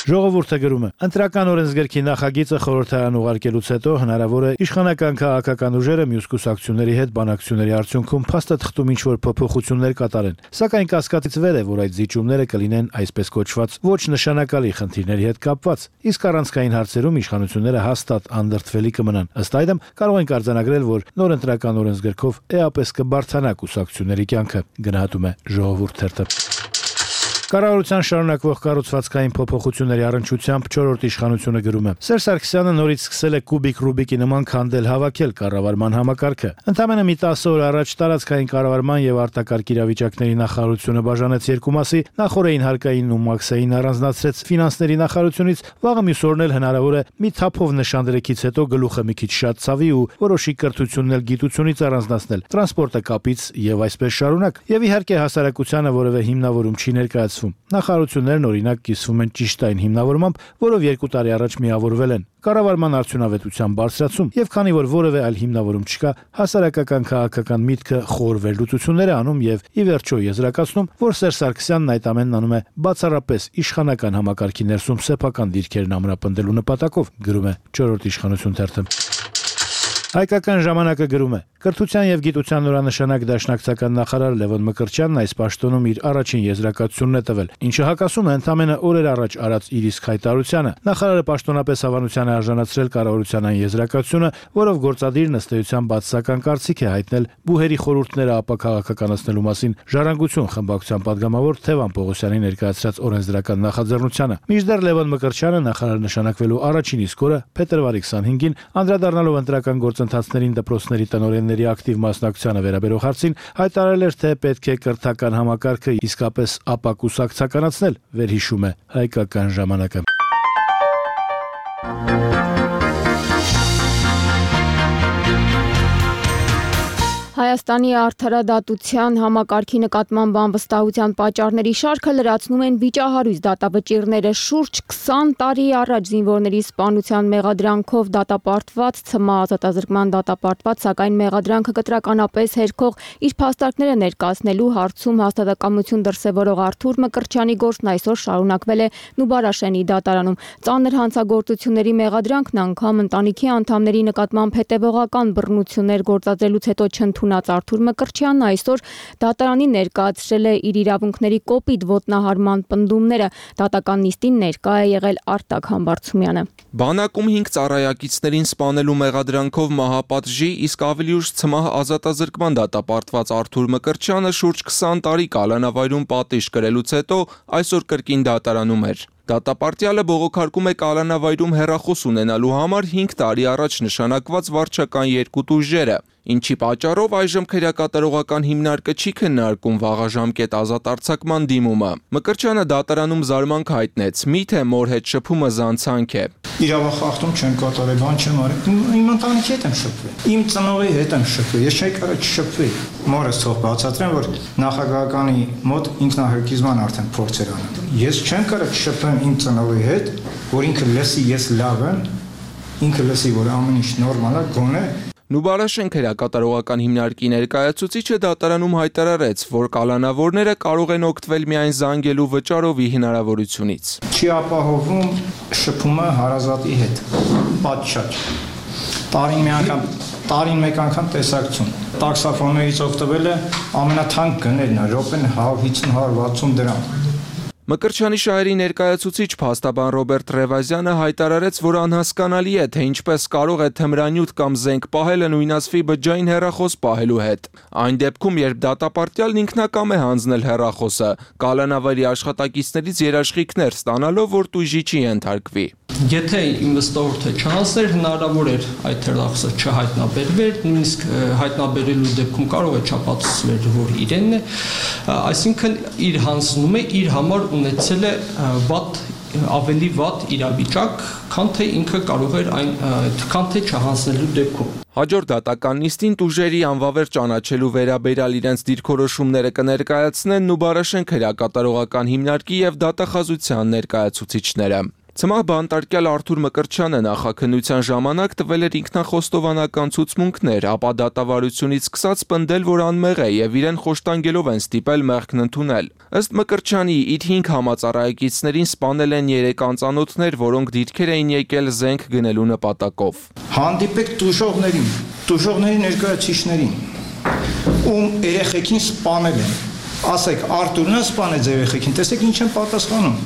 Ժողովուրդը գրում է. ընտրական օրենսգրքի նախագիծը խորհրդարան ուղարկելուց հետո հնարավոր է իշխանական քաղաքական ուժերը մյուս կուսակցությունների հետ բանակցությունների արդյունքում փաստաթղթում ինչ-որ փոփոխություններ կատարեն։ Սակայն կասկածից վեր է, որ այդ զիջումները կլինեն այսպես կոչված ոչ նշանակալի խնդիրների հետ կապված, իսկ առանցքային հարցերում իշխանությունները հաստատ անդրդվելի կմնան։ Ըստ այդմ կարող ենք արձանագրել, որ նոր ընտրական օրենսգրքով էապես կբարձրանա կուսակցությունների կյանքը, գնահատում է Ժողովուրդ թերթը։ Կառավարության շարունակվող կառուցվածքային փոփոխությունների առնչությամբ 4-րդ իշխանությունը գրում է. Սերժ Սարգսյանը նորից սկսել է կուբիկ Ռուբիկի նման քանդել հավաքել կառավարման համակարգը։ Ընդամենը մի 10 օր առաջ տարածքային կառավարման եւ արտակարգ իրավիճակների նախարարությունը բաժանեց երկու մասի, նախորդին հարկային ու մաքսային առանձնացրեց ֆինանսների նախարարությունից, վաղը մյուս օրն էլ հնարավոր է մի թափով նշանդրեքից հետո գլուխը մի քիչ շատ ցավի ու որոշի կրթությունն էլ գիտությունից առանձնացնել, տրանսպորտը կապից եւ այսպես շարունակ։ Եվ իհարկե հասարակությանը որևէ հիմնավորում չի ներկայացվում։ Նախարարություններն օրինակ կիսվում են ճիշտ այն հիմնավորմամբ, որով 2 տարի առաջ միավորվել են։ Կառավարման արդյունավետության բարձրացում եւ քանի որ որևէ այլ հիմնավորում չկա, հասարակական քաղաքական միտքը խոր վերլուծություններ է անում եւ ի վերջո եզրակացնում, որ Սերժ Սարգսյանն այդ ամենն անում է բացառապես իշխանական համակարգի ներսում սեփական դիրքերն ամրապնդելու նպատակով, գրում է 4-րդ իշխանություն թերթը։ Հայկական ժամանակը գրում է. Կրթության եւ գիտության նորանշանակ դաշնակցական նախարար Լևոն Մկրտչյանն այս պաշտոնում իր առաջին եզրակացությունն է տվել, ինչը հակասում է ընդամենը օրեր առաջ արած իր իսկ հայտարարությանը։ Նախարարը պաշտոնապես հավանության է արժանացրել կառավարության այն եզրակացությունը, որով գործադիրն ըստ էության բացասական կարծիք է հայտնել բուհերի խորհուրդները ապաքաղաքականացնելու մասին Ժառանգություն խմբակցության падգամավոր Թևան Պողոսյանի ներկայացրած օրենսդրական նախաձեռնությանը։ Մինչդեռ Լևոն Մկրտչյանը նախարար նշանակվելու առաջին իսկ օրը փետրվարի 25-ին անդրադառնալով ընտրական գործընթացներին դպրոցների տնօրենների ակտիվ մասնակցությանը վերաբերող հարցին հայտարարել էր, թե պետք է կրթական համակարգը իսկապես ապակուսակցականացնել, վերհիշում է Հայկական ժամանակը։ Հայաստանի արդարադատության համակարգի նկատմամբ անվստահության պատճառների շարքը լրացնում են վիճահարույց դատավճիռները։ Շուրջ 20 տարի առաջ զինվորների սպանության մեղադրանքով դատապարտված, ՑՄԱ ազատազրկման դատապարտված, սակայն մեղադրանքը կտրականապես հերքող իր փաստարկները ներկայացնելու հարցում հաստատակամություն դրսևորող Արթուր Մկրտչյանի գործն այսօր շարունակվել է Նուբարաշենի դատարանում։ Ծանր հանցագործությունների մեղադրանքն անգամ ընտանիքի անդամների նկատմամբ հետևողական բռնություններ գործադրելուց հետո չընդունած Արթուր Մկրտչյանն այսօր դատարանի ներկայացրել է իր իրավունքների կոպիտ ոտնահարման պնդումները։ Դատական նիստին ներկա է եղել Արտակ Համբարձումյանը։ Բանակում 5 ծառայակիցներին սպանելու մեղադրանքով մահապատժի, իսկ ավելի ուշ ՑՄԱՀ ազատազրկման դատապարտված Արթուր Մկրտչյանը շուրջ 20 տարի կալանավայրում պատիժ կրելուց հետո այսօր կրկին դատարանում էր։ Դատապարտյալը բողոքարկում է կալանավայրում հեռախոս ունենալու համար 5 տարի առաջ նշանակված վարչական երկու տուժերը, ինչի պատճառով այժմ քրեակատարողական հիմնարկը չի քննարկում վաղաժամկետ ազատ արձակման դիմումը։ Մկրտչյանը դատարանում զարմանք հայտնեց՝ միթե մոր հետ շփումը զանցանք է։ Իրավախախտում չեմ կատարել, բան չեմ արել։ Իմ ընտանիքի հետ եմ շփվել։ Իմ ծնողի հետ եմ շփվել։ Ես չէի կարող չշփվել։ Մորս թող բացատրեմ, որ նախագահականի մոտ ինքնահարկիզման արդեն փորձ էր անում։ Ես չեմ կարող չշփվեմ իմ ծնողի հետ, որ ինքը լսի ես լավ եմ, ինքը լսի, որ ամեն ինչ նորմալ է, գոնե Նուբարաշեն քրեակատարողական հիմնարկի ներկայացուցիչը դատարանում հայտարարեց, որ կալանավորները կարող են օգտվել միայն զանգելու վճարովի հնարավորությունից։ Չի ապահովում շփումը հարազատի հետ, պատշաճ։ Տարին մեկ անգամ տեսակցություն։ Տաքսոֆոններից օգտվելը ամենաթանկ գներն է, րոպեն 150-160 դրամ։ Մկրտչյանի շահերի ներկայացուցիչ փաստաբան Ռոբերտ Ռևազյանը հայտարարեց, որ անհասկանալի է, թե ինչպես կարող է թմրանյութ կամ զենք պահելը նույնասվի բջջային հեռախոս պահելու հետ։ Այն դեպքում, երբ դատապարտյալն ինքնակամ է հանձնել հեռախոսը, կալանավայրի աշխատակիցներից երաշխիքներ ստանալով, որ տույժի չի ենթարկվի։ Եթե ինվեստորը չհասներ, հնարավոր էր այդ թերախսը չհայտնաբերվեր, նույնիսկ հայտնաբերելու դեպքում կարող է չապացուցվեր, որ իրենն է, այսինքն իր հանձնում է իր համար ունեցել է ավելի վատ իրավիճակ, քան թե ինքը կարող էր քան թե չհանձնելու դեպքում։ Հաջորդ դատական նիստին տուժերի անվավեր ճանաչելու վերաբերյալ իրենց դիրքորոշումները կներկայացնեն Նուբարաշենք հրակատարողական հիմնարկի եւ դատախազության ներկայացուցիչները։ Ցմահ բանտարկյալ Արթուր Մկրտչյանը նախաքննության ժամանակ տվել էր ինքնախոստովանական ցուցմունքներ, ապա դատավարությունից սկսած պնդել, որ անմեղ է եւ իրեն խոշտանգելով են ստիպել մեղքն ընդունել։ Ըստ Մկրտչյանի, իր 5 համածառայեկիցներին սպանել են 3 անծանոթներ, որոնք դիրքեր էին եկել զենք գնելու նպատակով։ Հանդիպեք տուժողների ներկայացուցիչներին, ում երեխեքին սպանել են։ Ասեք, Արթուրն է սպանեց երեխեքին, տեսեք ինչ են պատասխանում։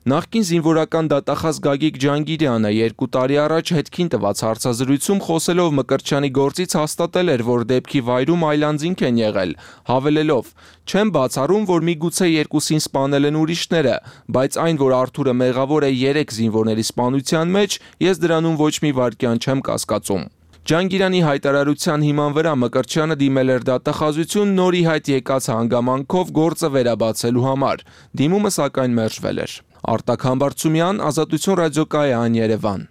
Նախկին զինվորական դատախազ Գագիկ Ջանգիրյանը 2 տարի առաջ հետքին տված հարցազրույցում խոսելով Մկրտչյանի գործից հաստատել էր, որ դեպքի վայրում այլանձինք են եղել, հավելելով. «Չեմ բացառում, որ միգուցե երկուսին սպանել են ուրիշները, բայց այն, որ Արթուրը մեղավոր է 3 զինվորների սպանության մեջ, ես դրանում ոչ մի վայրկյան չեմ կասկածում»։ Ջանգիրյանի հայտարարության հիման վրա Մկրտչյանը դիմել էր դատախազություն նորի հայտ եկած հանգամանքով գործը վերաբացելու համար։ Դիմումը սակայն մերժվել էր։ Արտակ Համբարձումյան, Ազատություն ռադիոկայան, Երևան։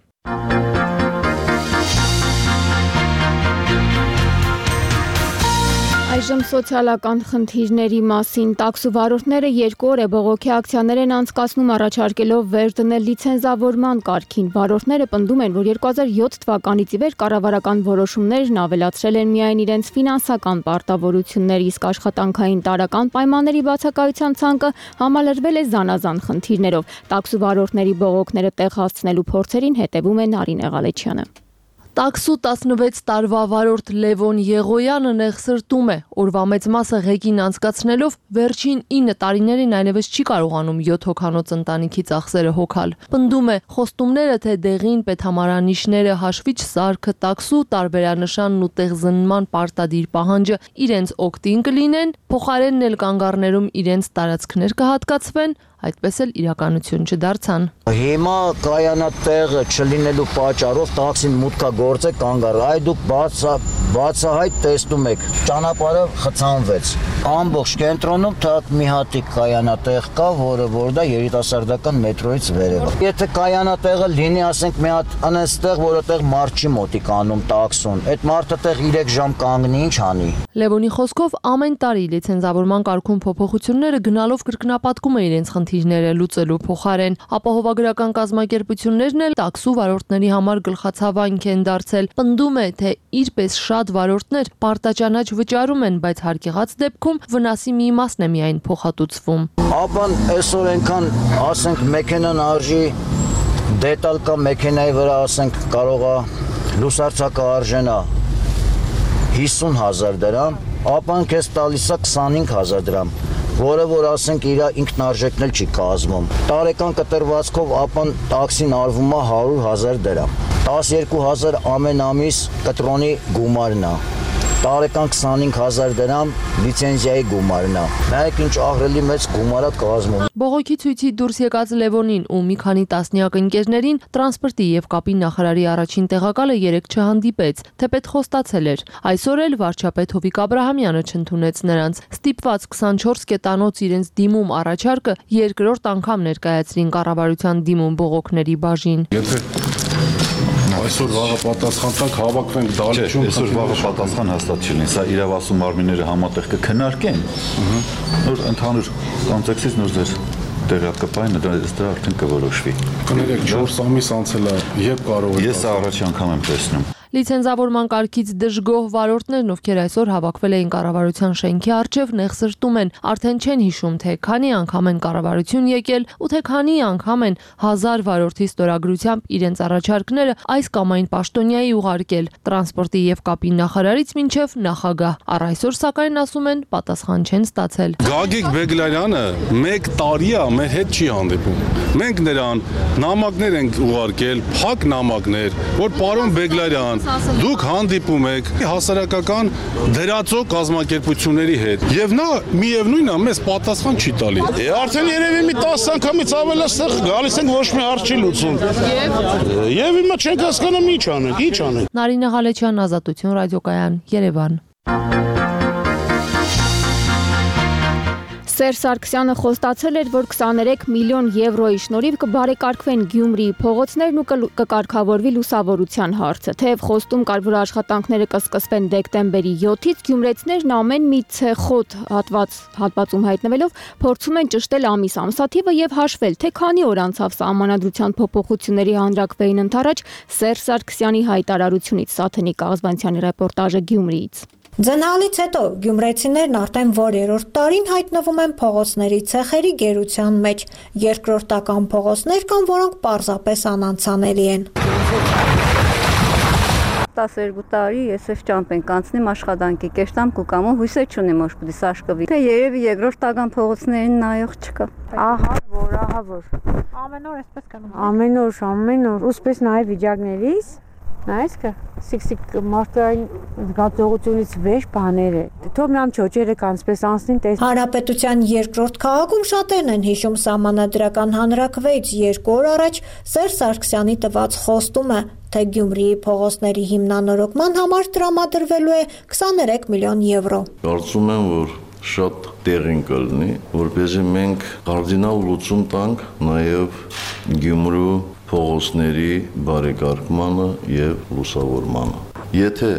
Այժմ սոցիալական խնդիրների մասին տաքսուվարորդները 2 օր է բողոքի ակցիաներ են անցկացնում առաջարկելով վեր դնել լիցենզավորման կարգին։ Վարորդները պնդում են, որ 2007 թվականից ի վեր կառավարական որոշումներն ավելացրել են միայն իրենց ֆինանսական պարտավորություններ, իսկ աշխատանքային տարրական պայմանների բացակայության ցանկը համալրվել է զանազան խնդիրներով։ Տաքսուվարորդների բողոքները տեղ հասցնելու փորձերին հետևում է Նարինե Ղալեչյանը։ Տաքսու 16 տարվա վարորդ Լևոն Եղոյանը նեղսրտում է, օրվա մեծ մասը ղեկին անցկացնելով վերջին 9 տարիներին այլևս չի կարողանում 7 հոգանոց ընտանիքի ծախսերը հոգալ։ Պնդում է, խոստումները թե դեղին պետհամարանիշները, հաշվիչ սարքը, տաքսու տարբերանշանն ու տեղզնման պարտադիր պահանջը իրենց օգտին կլինեն, փոխարենն էլ կանգառներում իրենց տարածքներ կհատկացվեն, այդպես էլ իրականություն չդարձան։ Հիմա կայանատեղը չլինելու պատճառով տաքսին մուտքագործ է կանգառ, այ դուք բացահայտ տեսնում եք, ճանապարհը խցանվեց։ Ամբողջ կենտրոնում թատ մի հատիկ կայանատեղ կա, որ դա երիտասարդական մետրոյից վերև է։ Եթե կայանատեղը լինի, ասենք մի հատ անստեղ, որտեղ մարդ չի մոտիկ անում տաքսուն, այդ մարդը տեղ 3 ժամ կանգնի, ինչ անի։ Լևոնի խոսքով ամեն տարի լիցենզավորման կարգում փոփոխությունները գնալով կրկնապատկում է իրենց խնդիրները լուծելու փոխարեն։ Ապահովագրական կազմակերպություններն էլ տաքսու վարորդների համար գլխացավանք են դարձել։ Պնդում է, թե իրպես շատ վարորդներ պարտաճանաչ վճարում են, բայց հարկեղած դեպքում վնասի մի մասն է միայն փոխհատուցվում։ Ապան այսօր այնքան, ասենք, մեքենան արժի դետալ կա մեքենայի վրա, ասենք, կարող է լուսարձակը արժենա 50,000 դրամ, ապան քեզ տալիս է 25,000 դրամ, որը որ ասենք իր ինքնարժեքն էլ չի կազմում։ Տարեկան կտրվածքով ապան տաքսին արվում է 100,000 դրամ։ 12,000 ամեն ամիս կտրոնի գումարն է։ Տարեկան 25,000 դրամ լիցենզիայի գումարն է։ Նայեք ինչ ահռելի մեծ գումար է կազմում։ Բողոքի ցույցի դուրս եկած Լևոնին ու մի քանի տասնյակ ընկերներին տրանսպորտի եւ կապի նախարարի առաջին տեղակալը 3 չհանդիպեց, թեպետ խոստացել էր։ Այսօր էլ վարչապետ Հովիկ Աբրահամյանը չընդունեց նրանց։ Ստիպված 24 կետանոց իրենց դիմում առաջարկը երկրորդ անգամ ներկայացրին կառավարության դիմում բողոքների բաժին։ Այսօր վաղը պատասխան տակ հավաքվենք դալիճում։ Այսօր վաղը պատասխան հաստատ չլինի, սա իրավասու մարմինները համատեղ կքննարկեն։ Նոր ընդհանուր կոնտեքստից նոր ձեր տեղյակապային դա արդեն կորոշվի։ Կներեք 4 ամիս անցել է, երբ կարող է։ Ես առաջի անգամ եմ տեսնում։ Լիցենզավորման կարգից դժգոհ վարորդներն, ովքեր այսօր հավաքվել էին կառավարության շենքի առջև, նեղսրտում են, արդեն չեն հիշում, թե քանի անգամ են կառավարություն եկել ու թե քանի անգամ են 1000 վարորդի ստորագրությամբ իրենց առաջարկները այս կամ այն պաշտոնյայի ուղարկել տրանսպորտի եւ կապի նախարարից մինչեւ նախագահ։ Առ այսօր սակայն ասում են պատասխան չեն ստացել։ Գագիկ Բեգլարյանը 1 տարի է մեր հետ չի հանդիպում։ Մենք նրան նամակներ ենք ուղարկել, փակ նամակներ, որ պարոն Բեգլարյան դուք հանդիպում եք հասարակական դրածո կազմակերպությունների հետ եւ նա միևնույնն է մեզ պատասխան չի տալի։ Արդեն երևի մի 10 անգամից ավել այստեղ գալիս ենք ոչ մի հարց չի լուծում։ Եվ հիմա չենք հասկանում ինչ անենք։ Նարինե Ղալեչյան, Ազատություն ռադիոկայան, Երևան։ Սերժ Սարգսյանը խոստացել էր, որ 23 միլիոն եվրոյի շնորհիվ կբարեկարգվեն Գյումրիի փողոցներն ու կկարգավորվի լուսավորության հարցը։ Թեև խոստում կար, որ աշխատանքները կսկսվեն դեկտեմբերի 7-ից, գյումրեցիներն ամեն մի ցեխոտ հատվածում հայտնվելով փորձում են ճշտել ամսաթիվը եւ հաշվել, թե քանի օր անցավ սահմանադրության փոփոխությունների հանրակրվեին ընթരാճ Սերժ Սարգսյանի հայտարարությունից։ Սաթենիկ Աղզբանցյանի ռեպորտաժը Գյումրիից։ Ձնալից հետո գյումրեցիներն արդեն որերորդ տարին հայտնվում են փողոցների ցեխերի գերության մեջ, երկրորդական փողոցներ կան, որոնք պարզապես անանցանելի են։ 12 տարի ես այս ճամփեն կանցնեմ աշխատանքի կեշտամ կուկամով հույսեր չունեմ որ պիտի սաշկվի։ Թե երևի երկրորդական փողոցներին նայող չկա։ Ահա որ։ Ամեն օր էսպես կանում։ Ամեն օր, ուսպես նայ վիճակներից Նայես կը սիքսիկ մարդային զգացողությունից վեճ բաներ է։ Թող միամ չոճերը կանցպես անցնին տես։ Հանրապետության երկրորդ քաղաքում շատերն են հիշում սահմանադրական հանրակրվեից 2 օր առաջ Սերժ Սարգսյանի տված խոստումը, թե Գյումրիի փողոցների հիմնանորոգման համար տրամադրվելու է 23 միլիոն եվրո։ Կարծում եմ, որ շատ տեղին կլինի, որպեսզի մենք կարդինալ լուծում տանք նաև Գյումրու փողոցների բարեկարգմանը եւ լուսավորմանը։ Եթե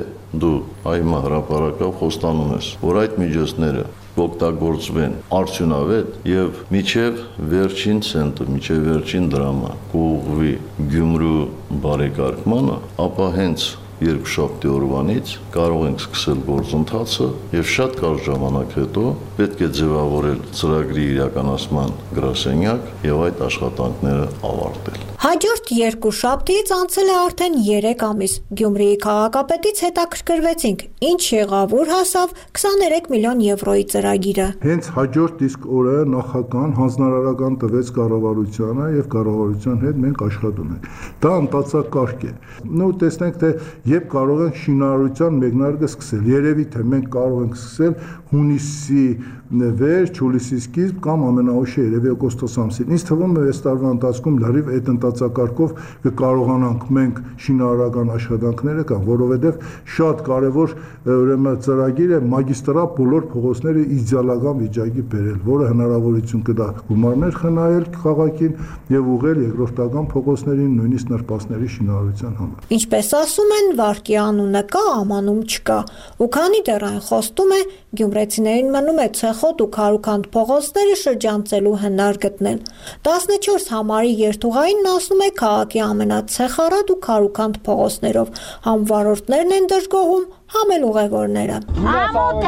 դու այմա հրապարակավ խոստանում ես, որ այդ միջոցները կօգտագործվեն արդյունավետ եւ միջև վերջին ցենտը, միջև վերջին դրամը կուղղվի Գյումրու բարեկարգմանը, ապա հենց երկուշաբթի օրվանից կարող ենք սկսել գործընթացը եւ շատ կարճ ժամանակ հետո պետք է ձևավորել ծրագրի իրականացման գրասենյակ եւ այդ աշխատանքները ավարտել։ Հաջորդ երկուշաբթիից անցել է արդեն 3 ամիս։ Գյումրիի քաղաքապետից հետաքրքրվեցինք, ինչ եղավ, ուր հասավ 23 միլիոն եվրոյի ծրագիրը։ Հենց հաջորդ իսկ օրը նախագահան հանձնարարական տվեց կառավարությանը եւ կառավարության հետ մենք աշխատում ենք։ Դա ընթացակարգ է։ Նու տեսնենք թե երբ կարող ենք շինարարության մեկնարկը սկսել։ Երևի թե մենք կարող ենք սկսել հունիսի վերջ, հուլիսի սկիզբ կամ ամենաուշը երևի օգոստոս ամսին։ Ինձ թվում է այս տարվա ընթացքում լրիվ այդ ընթացակարգով կկարողանանք մենք շինարարական աշխատանքները կամ որովհետև շատ կարևոր ուրեմն ծրագիր է մագիստրալ բոլոր փողոցները իդեալական վիճակի բերել, որը հնարավորություն կտա գումարներ խնայել քաղաքին եւ ուղղել երկրորդական փողոցներին, նույնիսկ նրբասների շինարարության համար։ Ինչպես ասում են, վարկի անունը կա, ամանում չկա։ Ու քանի դեռ այն խոստում է, գյումրեցիներին մնում է ցեխոտ ու քարուքանդ փողոցները շրջանցելու հնար գտնել։ 14 համարի երթուղային ասում է քաղաքի ամենացեխառատ ու քարուքանդ փողոցներով։ Համ վարորդներն են դժգոհում, համ էլ ուղևորները։ Ամոթ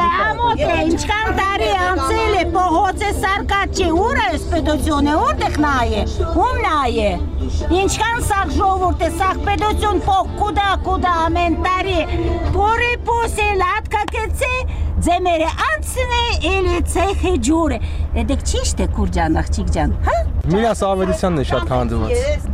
է, ինչքան տարի անցել է, փողոցը սարկած չի, ուր է պետությունը, որտեղ նայ է, ում նայ է։ Ինչքան սաղ ժողովուրդ է, սաղ պետություն փող կուդա ամեն տարի, փորի փոսի լատկակեցի, ձեմերը անցնի, էլի ցեխի ջուրը։ Էդեք ճիշտ է Քուրջան, աղջիկ ջան, հա։ Միաս ավելությանն է շատ քանդված։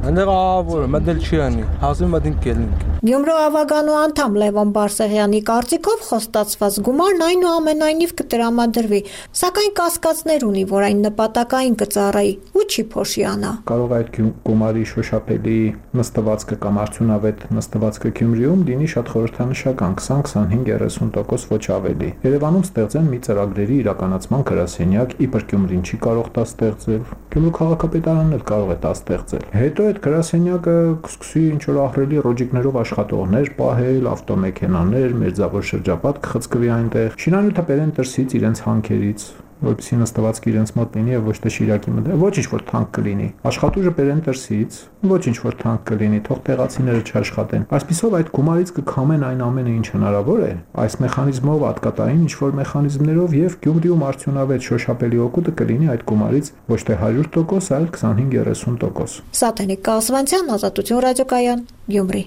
Այնտեղ ահավոր մտել չի անի, հասում մտին կելնիկ։ Գյումրու ավագանու անդամ Լևոն Բարսեղյանի կարծիքով խոստացված գումարն այնուամենայնիվ կտրամադրվի, սակայն կասկածներ ունի, որ այն նպատակային կծառայի ու չի փոշիանա։ Կարող այդ գումարի շոշափելի նստվածքը կամ արդյունավետ նստվածքը Գյումրիում լինի շատ խորհրդանշական 20-25-30% ոչ ավելի։ Երևանում ստեղծեն մի ծրագրերի իրականացման գրասենյակ, իբր Գյումրին չի կարող դա ստեղծել։ Գյումրու քաղաքապետարանն էլ կարող է դա ստեղծել։ Հետո այդ գրասենյակը կսկսի ինչ որ ահռելի ռոջիկներով աշխատողներ պահել, ավտոմեքենաներ, մերձավոր շրջապատ կխցկվի այնտեղ։ Շինանյութը բերեն դրսից իրենց հանքերից, որպեսզի նստվածքը իրենց մոտ լինի եւ ոչ թե Շիրակի մոտ։ Ոչինչ որ թանկ կլինի։ Աշխատուժը բերեն դրսից, ոչինչ որ թանկ կլինի, թող տեղացիները չաշխատեն։ Այսպիսով այդ գումարից կքամեն այն ամենը, ինչ հնարավոր է, այս մեխանիզմով, ատկատային ինչ որ մեխանիզմներով եւ Գյումրիում արդյունավետ շոշափելի օգուտը կլինի այդ գումարից ոչ թե 100%, այլ 25-30%։ Սաթենիկ Աղզբանցյան, Ազատություն ռադիոկայան, Գյումրի։